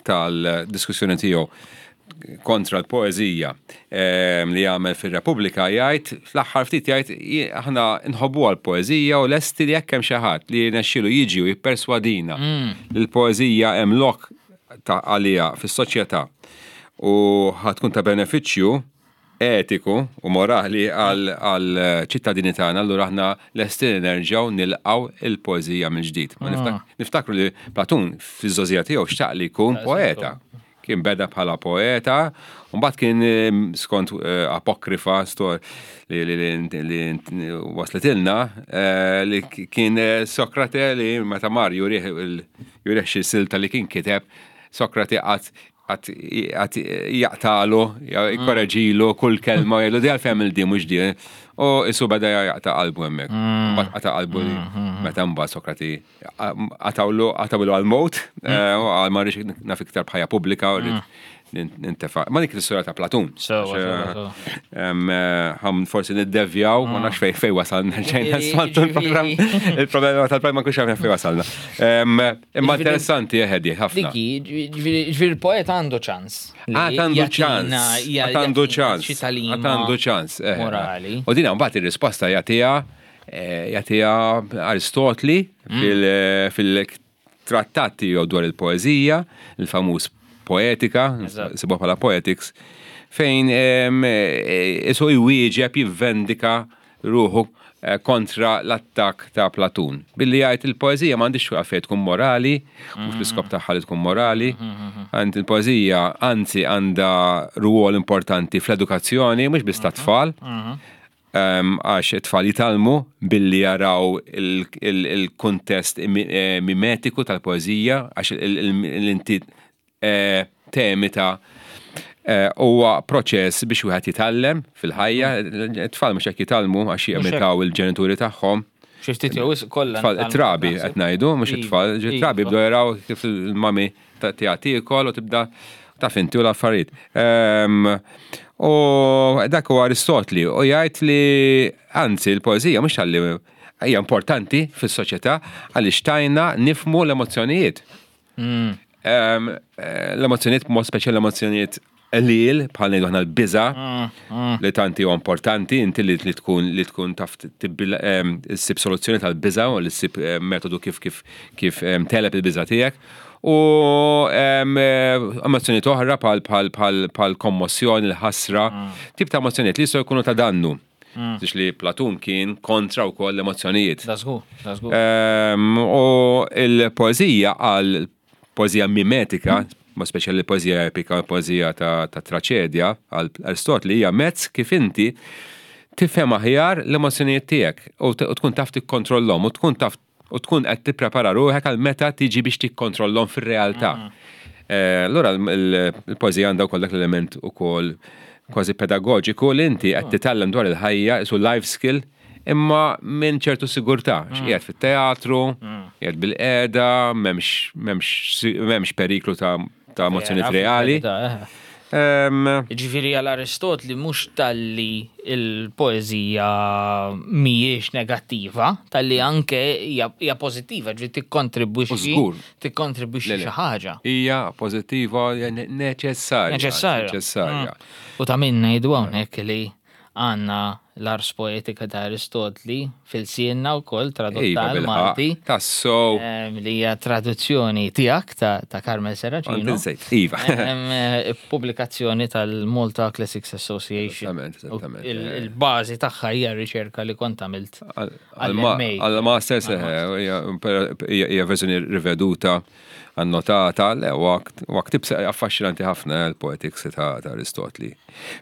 [SPEAKER 1] tal-diskussjoni tiegħu kontra l-poeżija ehm, li jagħmel fir-Repubblika jgħid fl-aħħar ftit jgħid aħna nħobbu għall-poeżija u lesti li jekk hemm xi ħadd li jirnexxielu jiġi u jipperswadina mm. li l-poeżija hemm lok ta' għalija fis-soċjetà u ħatkun ta' benefiċċju etiku u morali għal ċittadini tagħna, allura aħna lesti li nerġgħu nilqgħu il-poeżija mill-ġdid. Ma ah. niftakru li Platun fiż-żgħożija tiegħu xtaq li jkun poeta. Kien beda bħala poeta, u mbagħad kien eh, skont eh, apokrifa li wasletilna eh, li kien Sokrate li meta mar jurih jurih xi silta li kien kiteb Sokrate qatt għat jaqtalu, jkorreġilu kull kelma, jgħidu di għalfejn il di mhux di. U isu beda jaqta qalbu hemmhekk. Mm. Mbagħad qata qalbu li mm, mm, meta mbagħad Sokrati qatawlu qatawlu għal-mowt, eh, għal ma rridx naf iktar bħajja pubblika u rrid nintefa. Ma dik l-istorja ta' Platun. Ħam forsi niddevjaw, ma nafx fej fej wasalna, ġejna smaltu l-programm. Il-problema tal-programm ma kux għafna fej wasalna. Imma interessanti eħedi, eh, ħafna.
[SPEAKER 2] Diki, ġifieri il-poeta għandu ċans.
[SPEAKER 1] Għad għandu ċans. Għad għandu ċans. Għad għandu ċans.
[SPEAKER 2] Eh, morali.
[SPEAKER 1] U dina mbagħad ir-risposta jagħtiha eh, jagħtiha Aristotli mm. fil-trattat tiegħu dwar il-poeżija, il-famuż poetika, sibuha bħala poetics, fejn isu jwieġeb jivvendika ruħu eh, kontra l-attakk ta' Platun. Billi jgħid il-poeżija m'għandix għalfejn tkun morali, mhux l-iskop tagħha li tkun morali. Għand il-poeżija anzi għandha rwol importanti fl-edukazzjoni, mhux biss tat-tfal. Ehm, għax it-tfal jitalmu billi jaraw il-kuntest eh, mimetiku tal-poeżija, għax l-inti eh, temi ta' eh, huwa proċess biex wieħed jitgħallem fil-ħajja, it-tfal mhux hekk jitgħallmu għax jimitaw il-ġenituri tagħhom.
[SPEAKER 2] Xi ftit jew kollha.
[SPEAKER 1] Tfal trabi qed ngħidu, mhux it-tfal, trabi bdew jaraw kif il-mami tiegħek tiekol u tibda taf inti u l-affarijiet. Ehm, u dak huwa Aristotli u jgħid li anzi l-poeżija mhux tal hija importanti fis-soċjetà għaliex tajna nifmu l-emozzjonijiet. Mm. Eh, l-emozzjonijiet, mod speċjali l-emozzjonijiet qlil, bħal ngħidu aħna l-biża mm, mm. li tanti huwa importanti inti li tkun li tkun taf ssib soluzzjoni tal-biża u li ssib eh, metodu kif kif kif teleb il-biża tiegħek. U eh, emozzjonijiet oħra bħal bħal bħal bħal kommossjoni, l-ħasra, mm. tip ta' emozzjonijiet li jistgħu jkunu ta' dannu. Mm. Tix li Platun kien kontra wkoll l-emozzjonijiet.
[SPEAKER 2] Da żgur, da żgur.
[SPEAKER 1] Ehm, u il-poeżija għal poeżija mimetika, ma speċjali poeżija epika, poeżija ta', ta traċedja għal Aristotli hija mezz kif inti tifhem aħjar l-emozzjonijiet tiegħek u tkun taf tikkontrollhom u tkun taf u tkun qed tipprepara ruħek għal meta tiġi biex tikkontrollhom fir-realtà. Mm. Eh, allura l-poeżija għandha wkoll dak l-element ukoll kważi pedagoġiku li inti qed mm. titgħallem dwar il-ħajja, isu life skill, imma minn ċertu sigurtà, mm. qiegħed fit-teatru, qiegħed bil-qiegħda, m'hemmx periklu ta' ta' emozzjonijiet reali. Eh.
[SPEAKER 2] Ġifieri għal Aristotli mhux talli il-poeżija mhijiex negattiva, talli anke hija pożittiva, ġifieri tikkontribwixxi tikkontribwixxi xi ħaġa.
[SPEAKER 1] Hija pożittiva neċessarja.
[SPEAKER 2] Neċessarja.
[SPEAKER 1] Neċessarja. Mm.
[SPEAKER 2] U ta' min ngħidu hawnhekk li għandna l-Ars Poetica ta' Aristotli fil-sienna wkoll tradotta
[SPEAKER 1] Iva,
[SPEAKER 2] għal Malti.
[SPEAKER 1] Tassow.
[SPEAKER 2] Li hija traduzzjoni tiegħek ta' Carmel Serracino.
[SPEAKER 1] Insejt, iva.
[SPEAKER 2] Pubblikazzjoni tal-Malta Classics Association.
[SPEAKER 1] Esattament, esattament.
[SPEAKER 2] Il-bażi tagħha hija r-riċerka li kont għamilt
[SPEAKER 1] għall-MA. Għall-Masters, hija verżjoni riveduta annotata, le, huwa ktieb affaxxinanti ħafna eh, l-Poetics ta' Aristotli.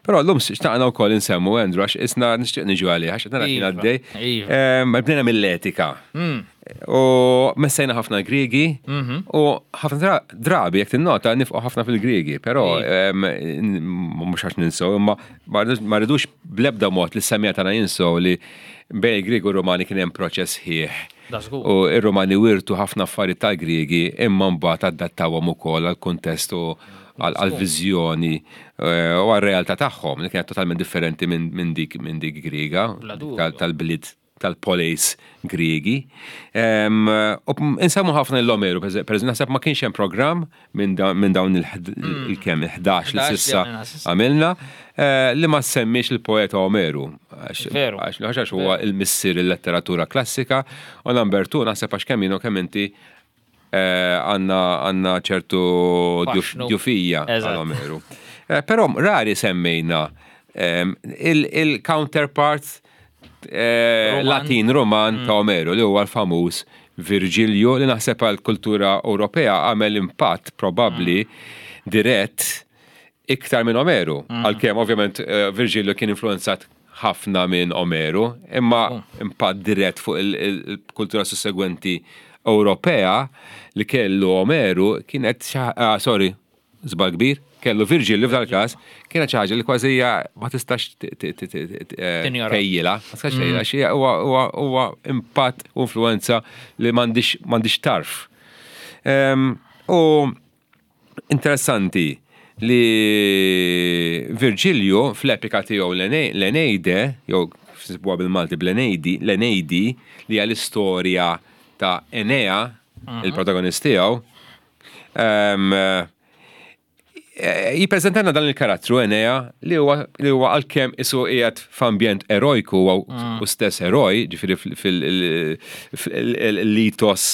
[SPEAKER 1] Però llum xtaqna wkoll insemmu Andrew għax isna nixtieq niġu għalih għax qed nara kien
[SPEAKER 2] iva,
[SPEAKER 1] għaddej.
[SPEAKER 2] Iva.
[SPEAKER 1] Ehm, bdejna mill-etika.
[SPEAKER 2] Hmm.
[SPEAKER 1] U messejna ħafna Griegi
[SPEAKER 2] mhm.
[SPEAKER 1] u ħafna drabi jekk tinnota nifqu ħafna fil-Griegi, però
[SPEAKER 2] Iva.
[SPEAKER 1] ehm, mhux għax ninsew, imma ma rridux bl-ebda mod li s-semija tagħna jinsew li bejn il-Griegi u Romani kien hemm proċess ħieħ
[SPEAKER 2] Da żgur.
[SPEAKER 1] U r-Rumani wirtu ħafna affarijiet tal-Griegi imma mbagħad adattawhom ukoll għall-kuntest u għall-viżjoni eh, u għar-realtà tagħhom li kienet totalment differenti minn dik minn dik Griega tal-bliet tal-poleis Griegi. U insemmu ħafna l-Omeru, per eżempju, naħseb ma kienx hemm programm minn dawn il-kemm il-11 li sissa għamilna, eh, li ma semmiex il-poeta Omeru. Għax għax huwa il-missier il-letteratura klassika, u number two naħseb għax kemm jienu kemm inti eh, għandna ċertu djufija għal Omeru. Eh, però rari semmejna il-counterpart Latin Roman ta' Omeru li huwa l-famuż Virġilju li naħseb għal kultura Ewropea għamel impatt probabbli mm. dirett iktar minn Omeru. Mm. Għalkemm ovvjament eh, Virġilju kien influenzat ħafna minn Omeru, imma mm. impatt dirett fuq il-kultura sussegwenti Ewropea li kellu Omeru kienet, ah, sorry, żball kbir, kellu Virġilju f'dal każ, kienet xi ħaġa li kważi hija ma tistax tejjilha, ma tistax tejjilha, xi huwa impatt u influenza li m'għandix tarf. Ehm, u interessanti li Virġilju fl-epika tiegħu l-Eneide, jew sibuha bil-Malti bl-Eneidi, l-Eneidi li hija l-istorja ta' Enea, mhm. il-protagonist tiegħu, Jippreżentanna dan il-karattru Enea li huwa li huwa għalkemm isu qiegħed f'ambjent erojku huwa mm. u stess eroj, ġifieri fil-litos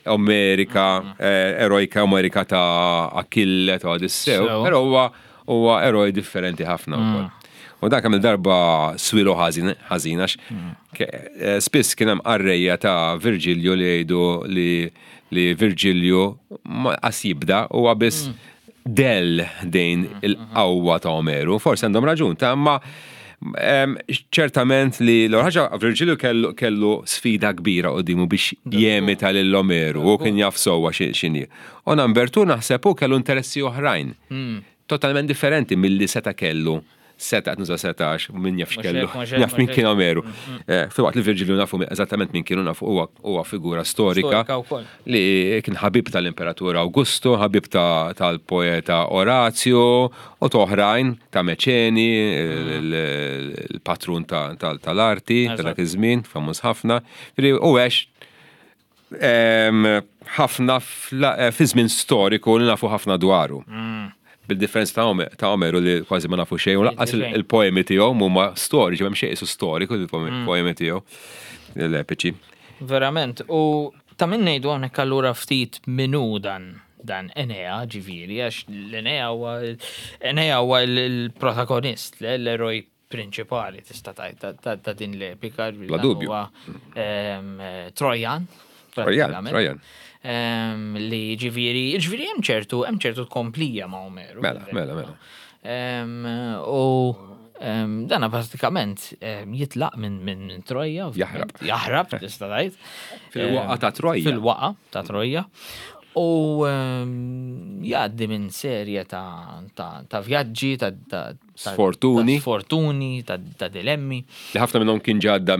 [SPEAKER 1] Amerika, mm. eh, erojka Amerika ta' Achille ta' Odissew, però huwa huwa eroj differenti ħafna wkoll. Mm. U dan kemm il-darba swilu ħażin għax mm. eh, spiss kien hemm qarrejja ta' Virgilju li jgħidu li li Virgilju ma qas jibda huwa biss mm. del dejn mm, il-qawwa ta' Omeru. Forsi għandhom raġun ta' imma ċertament li l-ħaġa Virgilju kellu, kellu sfida kbira quddiemu biex jemita lil Omeru u kien jaf sewwa x'inhi. U number two naħseb hu kellu interessi oħrajn. Hmm. Totalment differenti milli seta' kellu seta' qed nuża seta' għax min jaf x'kellu, jaf min kien Omeru. Mm, mm. Eh, filwaqt li Virgilju nafu eżattament min kienu nafu huwa figura storika li kien ħabib tal-Imperatur Augusto, ħabib tal-poeta Orazio u toħrajn ta' Meċeni, mm. il-patrun tal-arti ta' dak iż-żmien, famuż ħafna. U għex ħafna eh, fi żmien storiku li nafu ħafna dwaru. Mm. Bil-differenza ta' Omeru li kważi ma nafu xejn, u laqqas il-poemi tiegħu huma storiċi, m'hemm xejn isu storiku il-poemi mm. tiegħu l-epiċi.
[SPEAKER 2] Verament, u ta' minn ngħidu hawnhekk allura ftit minu dan dan Enea ġifieri, għax l-Enea huwa Enea huwa l-protagonist, l-eroj prinċipali tista' tgħid ta' din l-epika.
[SPEAKER 1] Bla dubju.
[SPEAKER 2] Trojan.
[SPEAKER 1] Trojan, Trojan.
[SPEAKER 2] Li ġifieri, ġifieri hemm ċertu, hemm ċertu tkomplija ma' Omeru.
[SPEAKER 1] Mela, mela, mela.
[SPEAKER 2] U dana pratikament jitlaq minn Troja.
[SPEAKER 1] Jaħrab.
[SPEAKER 2] Jaħrab, tista' tgħid.
[SPEAKER 1] Fil-waqa ta' Troja.
[SPEAKER 2] Fil-waqa ta' Troja. U jgħaddi minn serje ta' vjaġġi, ta'
[SPEAKER 1] sfortuni,
[SPEAKER 2] sfortuni, ta' dilemmi.
[SPEAKER 1] Li ħafna minnhom kien ġadda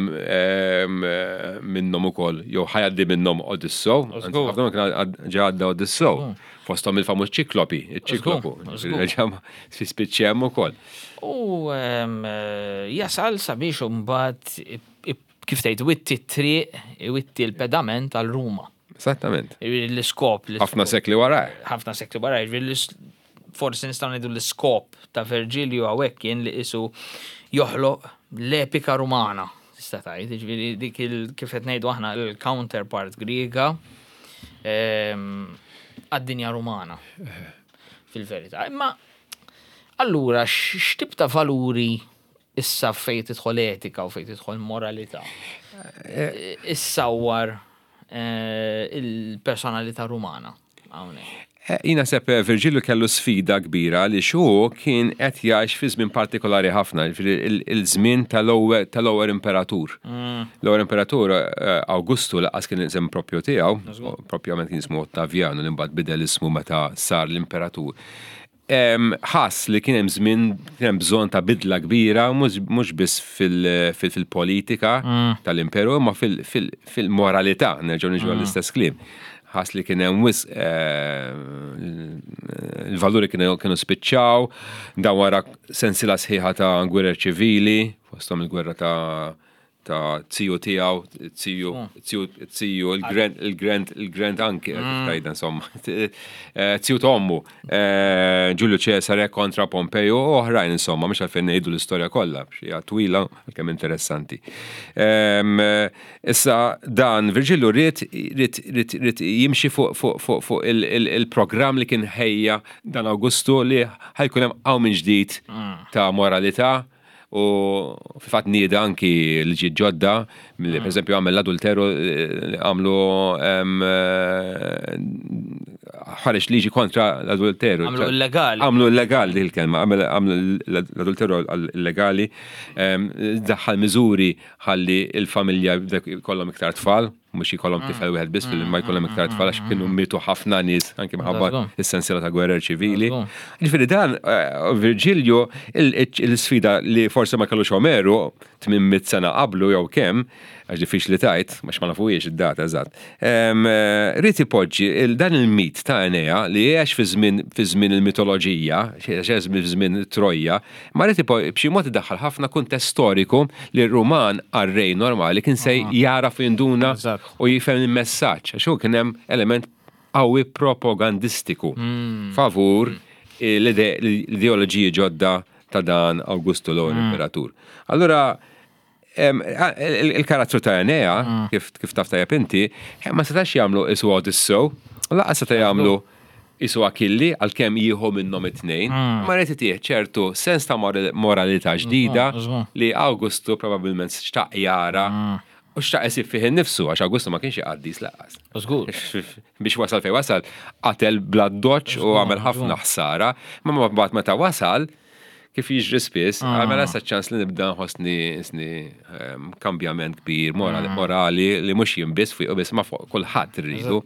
[SPEAKER 1] minnhom ukoll, jew ħajaddi minnhom Odissew, ħafna minnhom kien ġadda Odissew. Fosthom il-famuż ċiklopi, iċ-ċiklopu. Fi spiċċi hemm ukoll.
[SPEAKER 2] U jasal sabiex imbagħad kif tgħid witti t-triq, witti l-pedament għal Ruma.
[SPEAKER 1] Esattament.
[SPEAKER 2] L-iskop.
[SPEAKER 1] Ħafna sekli wara.
[SPEAKER 2] Ħafna sekli wara, forsi nistgħu ngħidu l-iskop ta' Virgilio hawnhekk kien li qisu joħloq l-epika Rumana, tista' tgħid, jiġifieri dik il kif qed ngħidu aħna l-counterpart Griega ehm, għad-dinja Rumana. Fil-verità. Imma allura x'tip ta' valuri issa fejn tidħol etika u fejn tidħol moralità eh, issawwar eh, il-personalità rumana hawnhekk.
[SPEAKER 1] Eh, jien naħseb eh, Virgilju kellu sfida kbira li xu kien qed jgħix fi żmien partikolari ħafna, il-żmien tal-ewwel imperatur. L-ewwel imperatur Augustu laqas kien isem propju tiegħu, propjament kien ismu Ottaviano li mbagħad bidel ismu meta sar l-imperatur. Ħass li kien hemm żmien kien hemm bżonn ta' bidla kbira mhux biss fil-politika mm. tal-imperu imma fil-moralità, nerġgħu niġu mm. għall-istess kliem. Ħass li kien hemm wisq eh, il-valuri kienu spiċċaw, dan wara sensila sħiħa ta' gwerer ċivili, fosthom il-gwerra ta' ta' ziju tiegħu, ziju, ziju, ziju, il-grand, il-grand, il-grand anki, kif mm. tajda insomma, eh, ziju ta' ommu, eh, Giulio Cesare kontra Pompeo u oħrajn insomma, mhux għalfejn ngħidu l-istorja kollha, hija twila kemm interessanti. Ehm, issa dan Virgilio ried ried ried jimxi fuq fuq fuq fuq il-programm li kien ħejja dan Augustu li ħajkun hemm hawn minn ġdid mm. ta' moralità U fil-fatt nieda anki liġijiet ġodda, li per eżempju għamel l-adulteru eh, għamlu eh, ħareġ liġi kontra l-adulteru.
[SPEAKER 2] Għamlu illegali.
[SPEAKER 1] Għamlu illegali din il-kelma, għamlu l-adulteru illegali, daħħal miżuri ħalli il-familja jkollhom iktar tfal. mhux jkollhom mm. tifel wieħed biss ma jkollhom iktar mm, tfal għax mm, kienu mietu ħafna nies anke minħabba is-sensiela ta' gwerer ċivili. Ġifieri dan eh, Virgilio il-sfida li forsi ma kellux Omeru 800 sena qablu jew kemm, għax diffiċli tajt, għax ma nafuhiex id-data eżatt. Eh, Rid ipoġġi dan il-mit ta' Enea li għex fi żmien il-mitoloġija, għex fi żmien Trojja, Ma rrid b'xi mod idaħħal ħafna kuntest storiku li r-Ruman qarrej normali kien se jagħraf u jinduna u jifhem il-messaġġ għax hu kien hemm element qawwi propagandistiku hmm. favur l-ideoloġiji ġodda ta' dan Augustu l-ewwel hmm. imperatur. Allura il-karattru ta' Enea, mm. kif taf tajjeb inti, eh, ma setax jagħmlu isu Odissew, laqas seta' jagħmlu isu Akilli għalkemm jieħu minnhom it-tnejn, mm. ma rrid itih ċertu sens ta' moralità ġdida li Augustu probabbilment xtaq jara mm. u xtaq isib fih innifsu għax Augustu ma kienx iqaddis laqas.
[SPEAKER 2] Żgur.
[SPEAKER 1] Biex wasal fejn wasal, qatel bla doċ u għamel ħafna ħsara, ma mbagħad meta wasal kif jiġri spiss, ah. mela sa ċans li nibda nħossni sni ehm, kambjament kbir morali, mm. morali li mhux jien biss fuq biss ma fuq kulħadd irridu.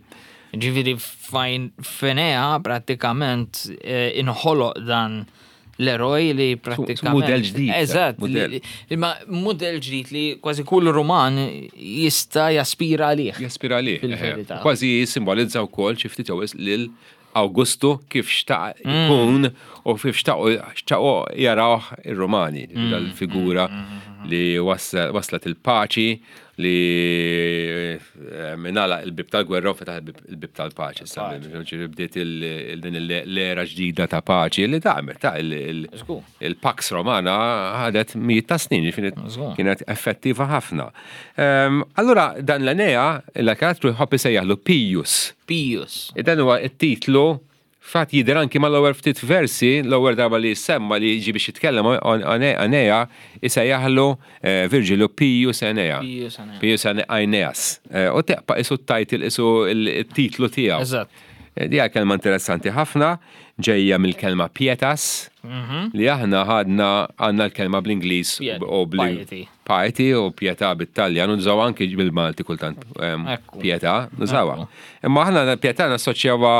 [SPEAKER 2] Ġifieri fajn fenea prattikament eh, inħoloq dan l-eroj li prattikament.
[SPEAKER 1] Model ġdid.
[SPEAKER 2] Eżatt. Imma model ġdid li kważi kull Ruman jista' jaspira għalih.
[SPEAKER 1] Jaspira għalih. Eh, kważi simbolizza wkoll xi ftit jew lil Awgustu kif xtaq mm. ikun u kif xtaqu jarawh ir-Rumani, mm. dal-figura mm. li waslet il-paċi li eh, minala il-bib tal-gwerra u fetaħ il-bib tal-paċi. Bdiet din l-era ġdida ta' paċi li damet ta' il-Pax Romana ħadet mijiet ta' snin, kienet effettiva ħafna. Ehm, allura dan l-Enea, l-karattru jħobb isejjaħlu Pijus.
[SPEAKER 2] Pijus.
[SPEAKER 1] E dan huwa t-titlu Fatt jidher anki mal-ewwel ftit versi, l-ewwel darba li jissemma li jiġi biex jitkellem Enea isejjaħlu eh, Virgilio Pius Enea.
[SPEAKER 2] Pius Enea.
[SPEAKER 1] Pius Aeneas. Eh, u teqpa isu t-title, isu il-titlu tiegħu.
[SPEAKER 2] Eżatt.
[SPEAKER 1] Eh, di kelma interessanti ħafna, ġejja mill-kelma pietas, mhm. li aħna ħadna għandna l-kelma bl-Ingliż u
[SPEAKER 2] bl
[SPEAKER 1] Piety u pietà bit-Taljan, nużaw anki bil-Malti kultant pietà, nużawha. Imma aħna pietà nassoċjawha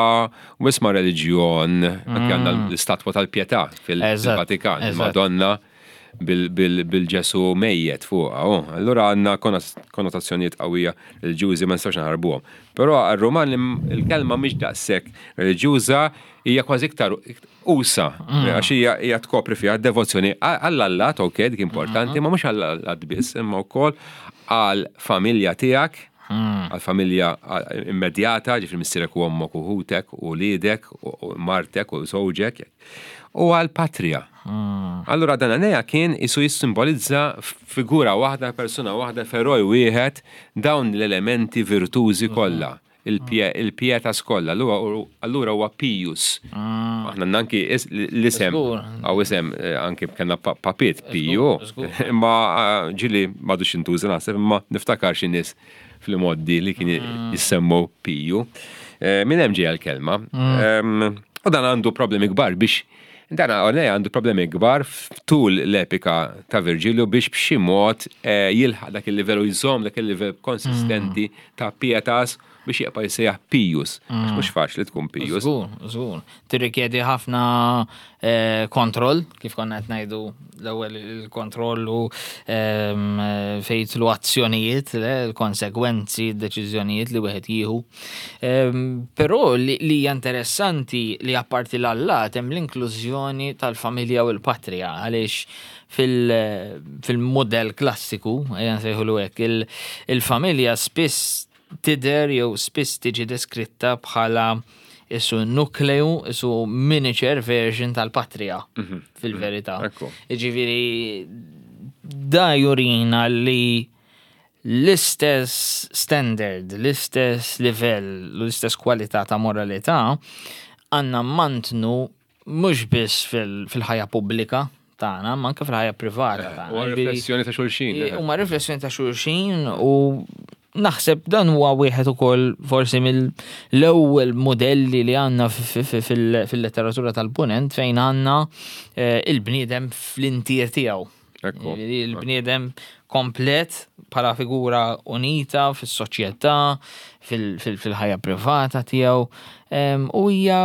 [SPEAKER 1] wisq ma' reliġjon, anki għandna mm. l-istatwa tal-pietà fil-Vatikan, il-Madonna bil-Ġesu mejjet fuqha. Oh, allura għandna konnotazzjonijiet qawwija reliġjużi ma nistgħux naħarbuhom. Però għar-Ruman il-kelma mhix daqshekk reliġjuża hija kważi iktar usa, mm. għax hija hija tkopri fiha devozzjoni għall-allat, ok, dik importanti, mm-hmm. ma mhux għall-allat biss, imma wkoll għall-familja tiegħek, mm. għall-familja immedjata, ġifri missierek u ommok u ħutek u lidek u martek u żewġek, u għall-patrija. Mm. Allura dan Enea kien isu jissimbolizza figura waħda, persuna waħda, feroj wieħed dawn l-elementi virtużi kollha. Il-pietas kollha, allura huwa Pius. Ah. Aħna anki l-isem, għaw isem eh, anki kellna papit Piju, imma eh, ġili m'għadux intuża naħseb, imma niftakar xi nies fil-moddi li kien mm. jissemmu Piju. Eh, minn hemm ġejja l-kelma. Mm. U dan għandu problemi kbar biex Dan għalej għandu problemi kbar tul l-epika ta' Virgilio biex b'xi mod jilħaq dak il-livell u jżomm dak il-livell konsistenti mm. ta' pietas biex jibqa' jissejjaħ Pijus. Għax mm. mhux faċli tkun Pijus.
[SPEAKER 2] Żgur, żgur. Tirrikjedi ħafna eh, kontroll, kif konna qed ngħidu l-ewwel il-kontroll u ehm, fejn jidħlu azzjonijiet, l-konsegwenzi, deċiżjonijiet li wieħed jieħu. Ehm, però li hija interessanti li apparti l-allat hemm l-inklużjoni tal-familja u l-patrija għaliex fil-modell klassiku, ejja nsejħulu hekk, il-familja spiss tidher jew spiss tiġi deskritta bħala isu nukleu, isu miniature version tal-patrija mhm. fil-verità. Ġifieri da jurina li l-istess standard, l-istess livell, l-istess kwalità ta' moralità għandna mantnu Mhux biss fil-ħajja pubblika tagħna, ma anke fil-ħajja privata eh, tagħna.
[SPEAKER 1] Huwa riflessjoni ta' xulxin.
[SPEAKER 2] Eh. Huma riflessjoni ta' xulxin u naħseb dan huwa wieħed ukoll forsi mill-ewwel modelli li għandna fil-letteratura tal-punent fejn għandna eh, il-bniedem fl-intier tiegħu. Il-bniedem komplet bħala figura unita fis-soċjetà, fil-ħajja privata tiegħu. U hija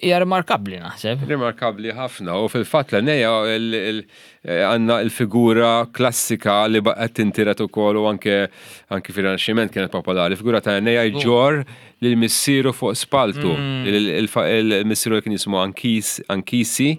[SPEAKER 2] hija rimarkabbli naħseb.
[SPEAKER 1] Rimarkabbli ħafna u fil-fatt l-Enea għandna l-figura klassika li baqgħet tintiret ukoll u anke anke fir-Rinaxximent kienet popolari, figura ta' Enea jġorr lil missieru fuq spaltu. Mm. Il-missieru kien jismu Ankisi,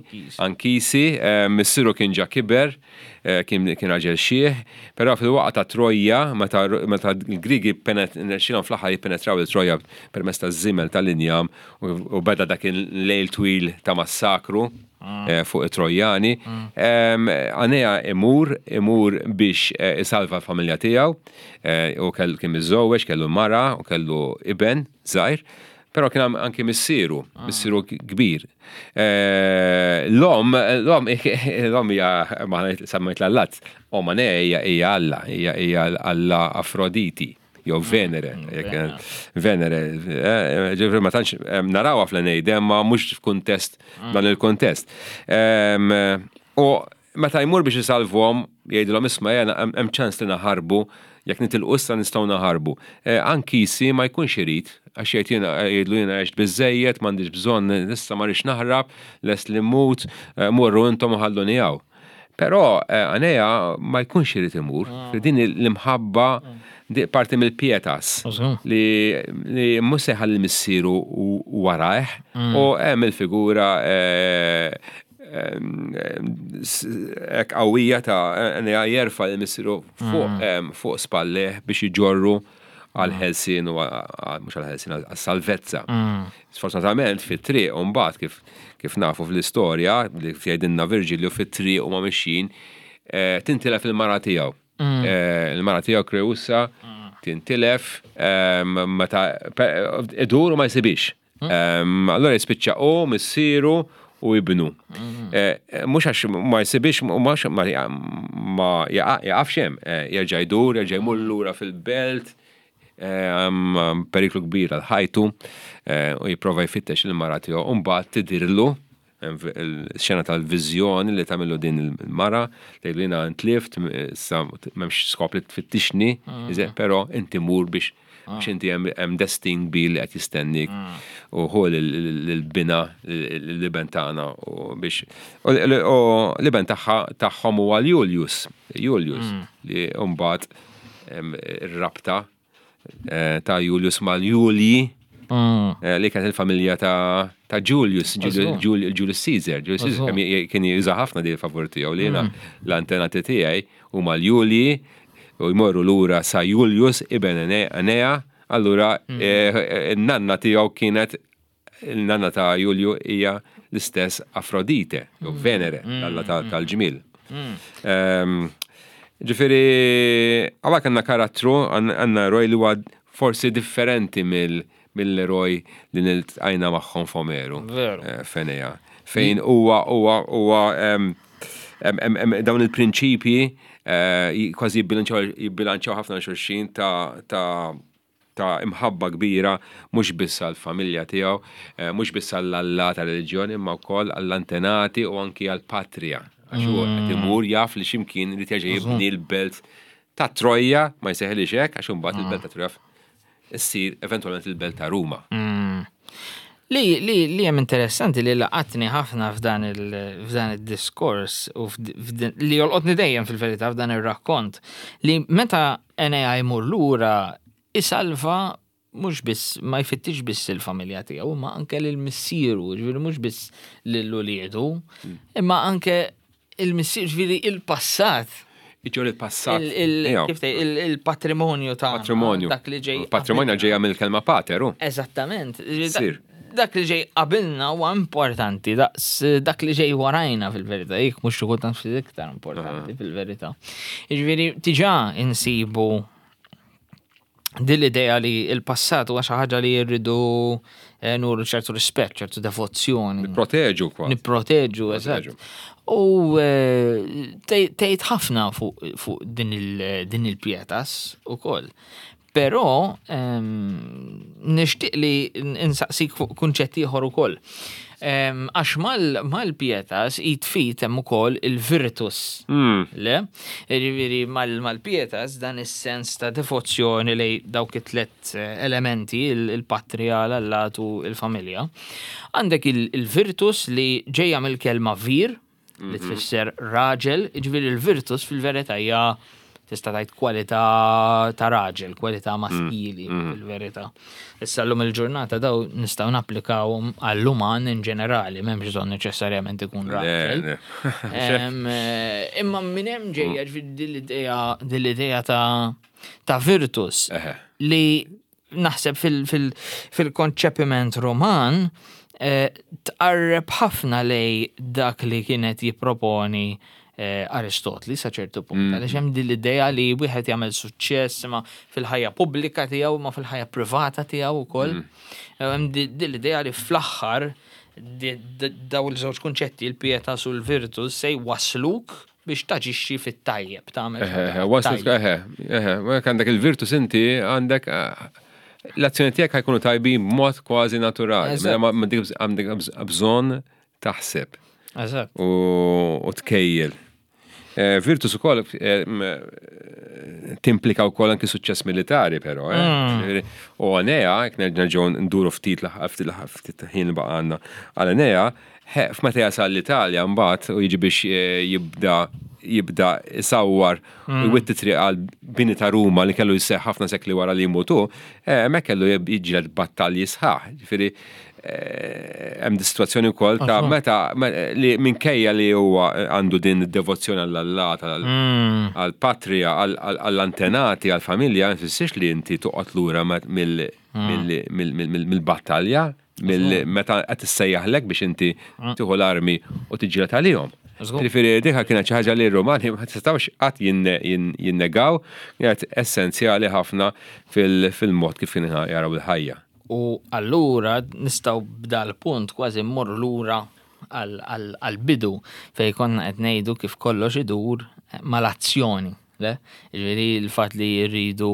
[SPEAKER 1] Ankisi, eh, missieru kien ġa kiber, eh, kien raġel xieħ, però fil-waqgħa ta' Trojja, meta l-Grigi nexxilhom fl-aħħar jippenetraw il-Trojja permezz ta' żimel tal-injam u beda dak il-lejl twil ta' massakru, mm. eh, fuq it-Trojjani. Mm. Anea imur, imur biex isalva l-familja tiegħu, Eh, u kellu kien miżżewweġ, kellu mara u kellu iben żgħir, però kien anki missieru, ah. missieru kbir. Eh, l-om, l-om, l-om hija ma semmejt l-allat, om hija hija Alla, hija Alla Afroditi jew ah, Venere, mm, Venere, eh, ġifri ma tantx narawha fl-Enejde, ma mhux f'kuntest mm. dan il-kuntest. U Meta jmur biex isalvhom, jgħidilhom isma' ejja hemm ċans li naħarbu, jekk nitilqu issa nistgħu naħarbu. Ankisi ma jkunx irid, għax jgħid jiena jgħidlu jiena għext biżżejjed, m'għandix bżonn issa ma rridx naħrab, lest li mmut, morru intom u ħalluni hawn. Però Anea ma jkunx irid imur, din l-imħabba parti mill-pietas li mhux se jħalli missieru warajh u hemm il-figura hekk qawwija ta' Enea jerfa' lil missieru fuq mm. fuq spalleh biex iġorru għal mm. ħelsien u mhux għal ħelsien għal salvezza. Mm. Sfortunatament fit-triq u mbagħad kif kif nafu fl-istorja li jgħidilna Virgilio fit-triq u ma mixjin eh, tintilef il-mara tiegħu. Eh, il-mara tiegħu Creusa tintilef meta idur u ma jsibix. Allora jispiċċa u missieru u ibnu. Mhux għax ma jsibix, mhux ma jaqafx hemm, jerġa' jdur, jerġa' jmur lura fil-belt, periklu kbir għal ħajtu, u jipprova jfittex il-mara tiegħu, u mbagħad tidirlu il-xena tal-viżjoni li tagħmillu din il-mara, tgħidlu jiena ntlift, issa m'hemmx skop li tfittixni, però inti mur biex biex inti hemm destin kbir li qed jistennik u ħu l-bina l-iben tagħna u biex u l-iben tagħha tagħhom huwa Julius, Julius li mbagħad ir-rabta ta' Julius mal-Julji li kienet il-familja ta' Julius, Julius Caesar. Julius Caesar kien juża ħafna di favur tiegħu li jiena l-antenati tiegħi huma l-Julji u jmorru lura sa Julius iben Enea, allura n-nanna tiegħu kienet il-nanna ta' Julju hija l-istess Afrodite, jew Venere, l-alla tal-ġmiel. Ġifieri, hawnhekk għandna karattru, għandna eroj li huwa forsi differenti mill-eroj li niltqajna magħhom f'Omeru. F'Enea. Fejn huwa huwa huwa dawn il-prinċipji kważi jibbilanċjaw ħafna xulxin ta' ta' imħabba kbira mhux biss għall-familja tiegħu, mhux biss għall-Alla tar-reliġjon imma wkoll għall-antenati u anki għall-patrija. Għax hu qed imur jaf li x'imkien irid jerġa' jibni l-belt ta' Trojja, ma jseħħilhiex hekk għax imbagħad il-belt ta' Trojja ssir eventwalment il-belt ta' Ruma.
[SPEAKER 2] Li li li hemm interessanti li laqatni ħafna f'dan il f'dan id-diskors u li jolqotni dejjem fil-verità f'dan ir-rakkont li meta Enea jmur lura isalva mhux biss ma jfittix biss il-familja tiegħu imma anke lil missieru, ġifieri mhux biss lil uliedu, imma anke il-missier ġifieri il-passat.
[SPEAKER 1] Iġor il-passat.
[SPEAKER 2] Il-patrimonju ta'
[SPEAKER 1] Patrimonju.
[SPEAKER 2] Dak li ġej.
[SPEAKER 1] Patrimonju ġejja mill-kelma pater, u.
[SPEAKER 2] Eżattament. Dak li ġej qabilna huwa importanti, daqs dak li ġej warajna fil-verità, jekk mhux xi kultant ftit iktar importanti fil-verità. Jiġifieri diġà insibu din l-idea li l-passat huwa xi ħaġa li rridu eh, nuru ċertu rispett, ċertu devozzjoni.
[SPEAKER 1] Nipproteġu
[SPEAKER 2] kwa. Nipproteġu, eżatt. U eh, tgħid ħafna fuq din il-pietas ukoll. Però ehm, nixtieq li insaqsik fuq kunċett ieħor ukoll. Ehm, għax mal-pietas jitfit hemm ukoll il-virtus. Le? Jiġifieri mal-pietas dan is-sens ta' devozzjoni lej dawk it-tlet eh, elementi, il-patrija, l-allat u il-familja. Għandek il-virtus li ġejja mill-kelma vir, li mhm. tfisser raġel, ġifieri l-virtus fil-verità hija tista' tgħid kwalità ta' raġel, kwalità mm. maskili mm. fil-verità. Issa llum il-ġurnata daw nistgħu napplikawhom għall-uman in ġenerali, m'hemmx bżonn neċessarjament ikun raġel. Eh, imma minn hemm ġejja mm. din l-idea ta' ta' virtus li naħseb fil-konċepiment Roman eh, tqarreb ħafna lej dak li kienet jipproponi eh, Aristotli sa ċertu punt. Għaliex hemm din l-idea li wieħed jagħmel suċċess ma fil-ħajja pubblika tiegħu ma fil-ħajja privata tiegħu wkoll. Hemm din l-idea li fl-aħħar daw il-żewġ kunċetti, il-pietas u l-virtus, se jwasluk biex taġixxi fit-tajjeb,
[SPEAKER 1] tagħmel. Eħe, waslet, eħe, eħe, għandek il-virtus inti għandek eh, l-azzjoni tiegħek ħajkunu tajbin b'mod kważi naturali. Mela għandek bżonn taħseb.
[SPEAKER 2] Eżatt.
[SPEAKER 1] U tkejjel. Eh, virtus ukoll eh, timplika wkoll anki suċċess militari però. Eh. Mm. U Enea, jekk nerġgħu nduru ftit ftit ħin li baqa' għal Enea, f'meta jasal l-Italja mbagħad u jiġi biex jibda jibda isawwar u mm. jwitti triq għal bini ta' Ruma li kellu jseħħ ħafna sekli wara li jmutu, hemmhekk kellu jiġġieled battalji sħaħ. Ġifieri hemm di situazzjoni wkoll ta' meta li minkejja li huwa għandu din id-devozzjoni għall-allat, mm. għall-patrija, għall-antenati, għall-familja, ma jfissirx li inti toqgħod lura mm. mill-battalja, meta qed issejjaħlek biex inti mm. tieħu l-armi u tiġġieled għalihom. Ġifieri dika kienet xi ħaġa li r-Rumani ma tistgħux qatt jinnegaw, kienet essenzjali ħafna fil-mod kif kienu jaraw il-ħajja.
[SPEAKER 2] U allura nistgħu b'dal punt kważi mmorru lura għall-bidu fejn konna qed ngħidu kif kollox idur mal-azzjoni. Le? Ġifieri l-fatt li rridu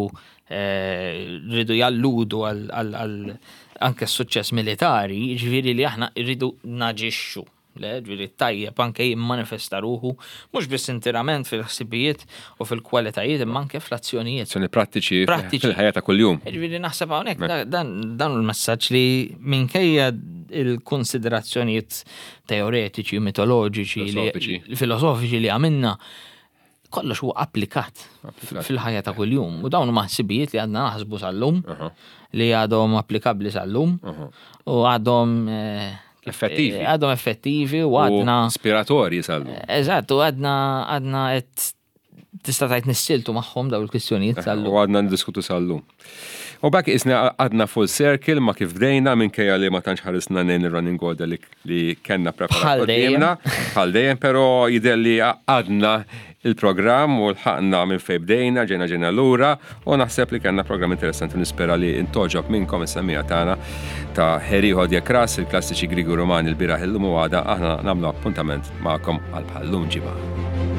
[SPEAKER 2] eh, rridu jalludu għal anke s-suċċess militari, ġifieri li aħna rridu naġixxu. Le, ġifieri tajjeb anke jimmanifesta ruħu mhux biss interament fil-ħsibijiet u fil-kwalitajiet imma anke fl-azzjonijiet.
[SPEAKER 1] Azzjoni prattiċi prattiċi fil-ħajja ta' kuljum.
[SPEAKER 2] Ġifieri naħseb hawnhekk dan dan il-messaġġ li minkejja il-konsiderazzjonijiet teoretiċi, mitoloġiċi, filosofiċi li għamilna, kollox huwa applikat fil-ħajja ta' kuljum. U dawn huma ħsibijiet li għadna naħsbu sal-lum, li għadhom applikabbli sal-lum, u għadhom eh,
[SPEAKER 1] effettivi.
[SPEAKER 2] Eh, għadhom effettivi u għadna.
[SPEAKER 1] Ispiratorji sal-lum.
[SPEAKER 2] Eh, eżatt, u għadna għadna qed tista' tgħid nissiltu magħhom dawn il-kwistjonijiet sal-lum.
[SPEAKER 1] U għadna ndiskutu sal-lum. U b'hekk isna għadna full circle ma kif bdejna minkejja li ma tantx ħarisna nejn ir-running order li, li kellna preparat
[SPEAKER 2] qudiemna.
[SPEAKER 1] Bħal dejjem, però jidher li għadna il-programm u lħaqna minn fejn bdejna, ġejna ġejna lura u naħseb li kellna programm interessanti nispera li intoġob minnkom is-semmiegħa tagħna ta' Heriho Diekras, il-klassiċi Griegi u Rumani l-bieraħ illum u għada aħna nagħmlu appuntament magħkom għal bħal-lum ġimgħa.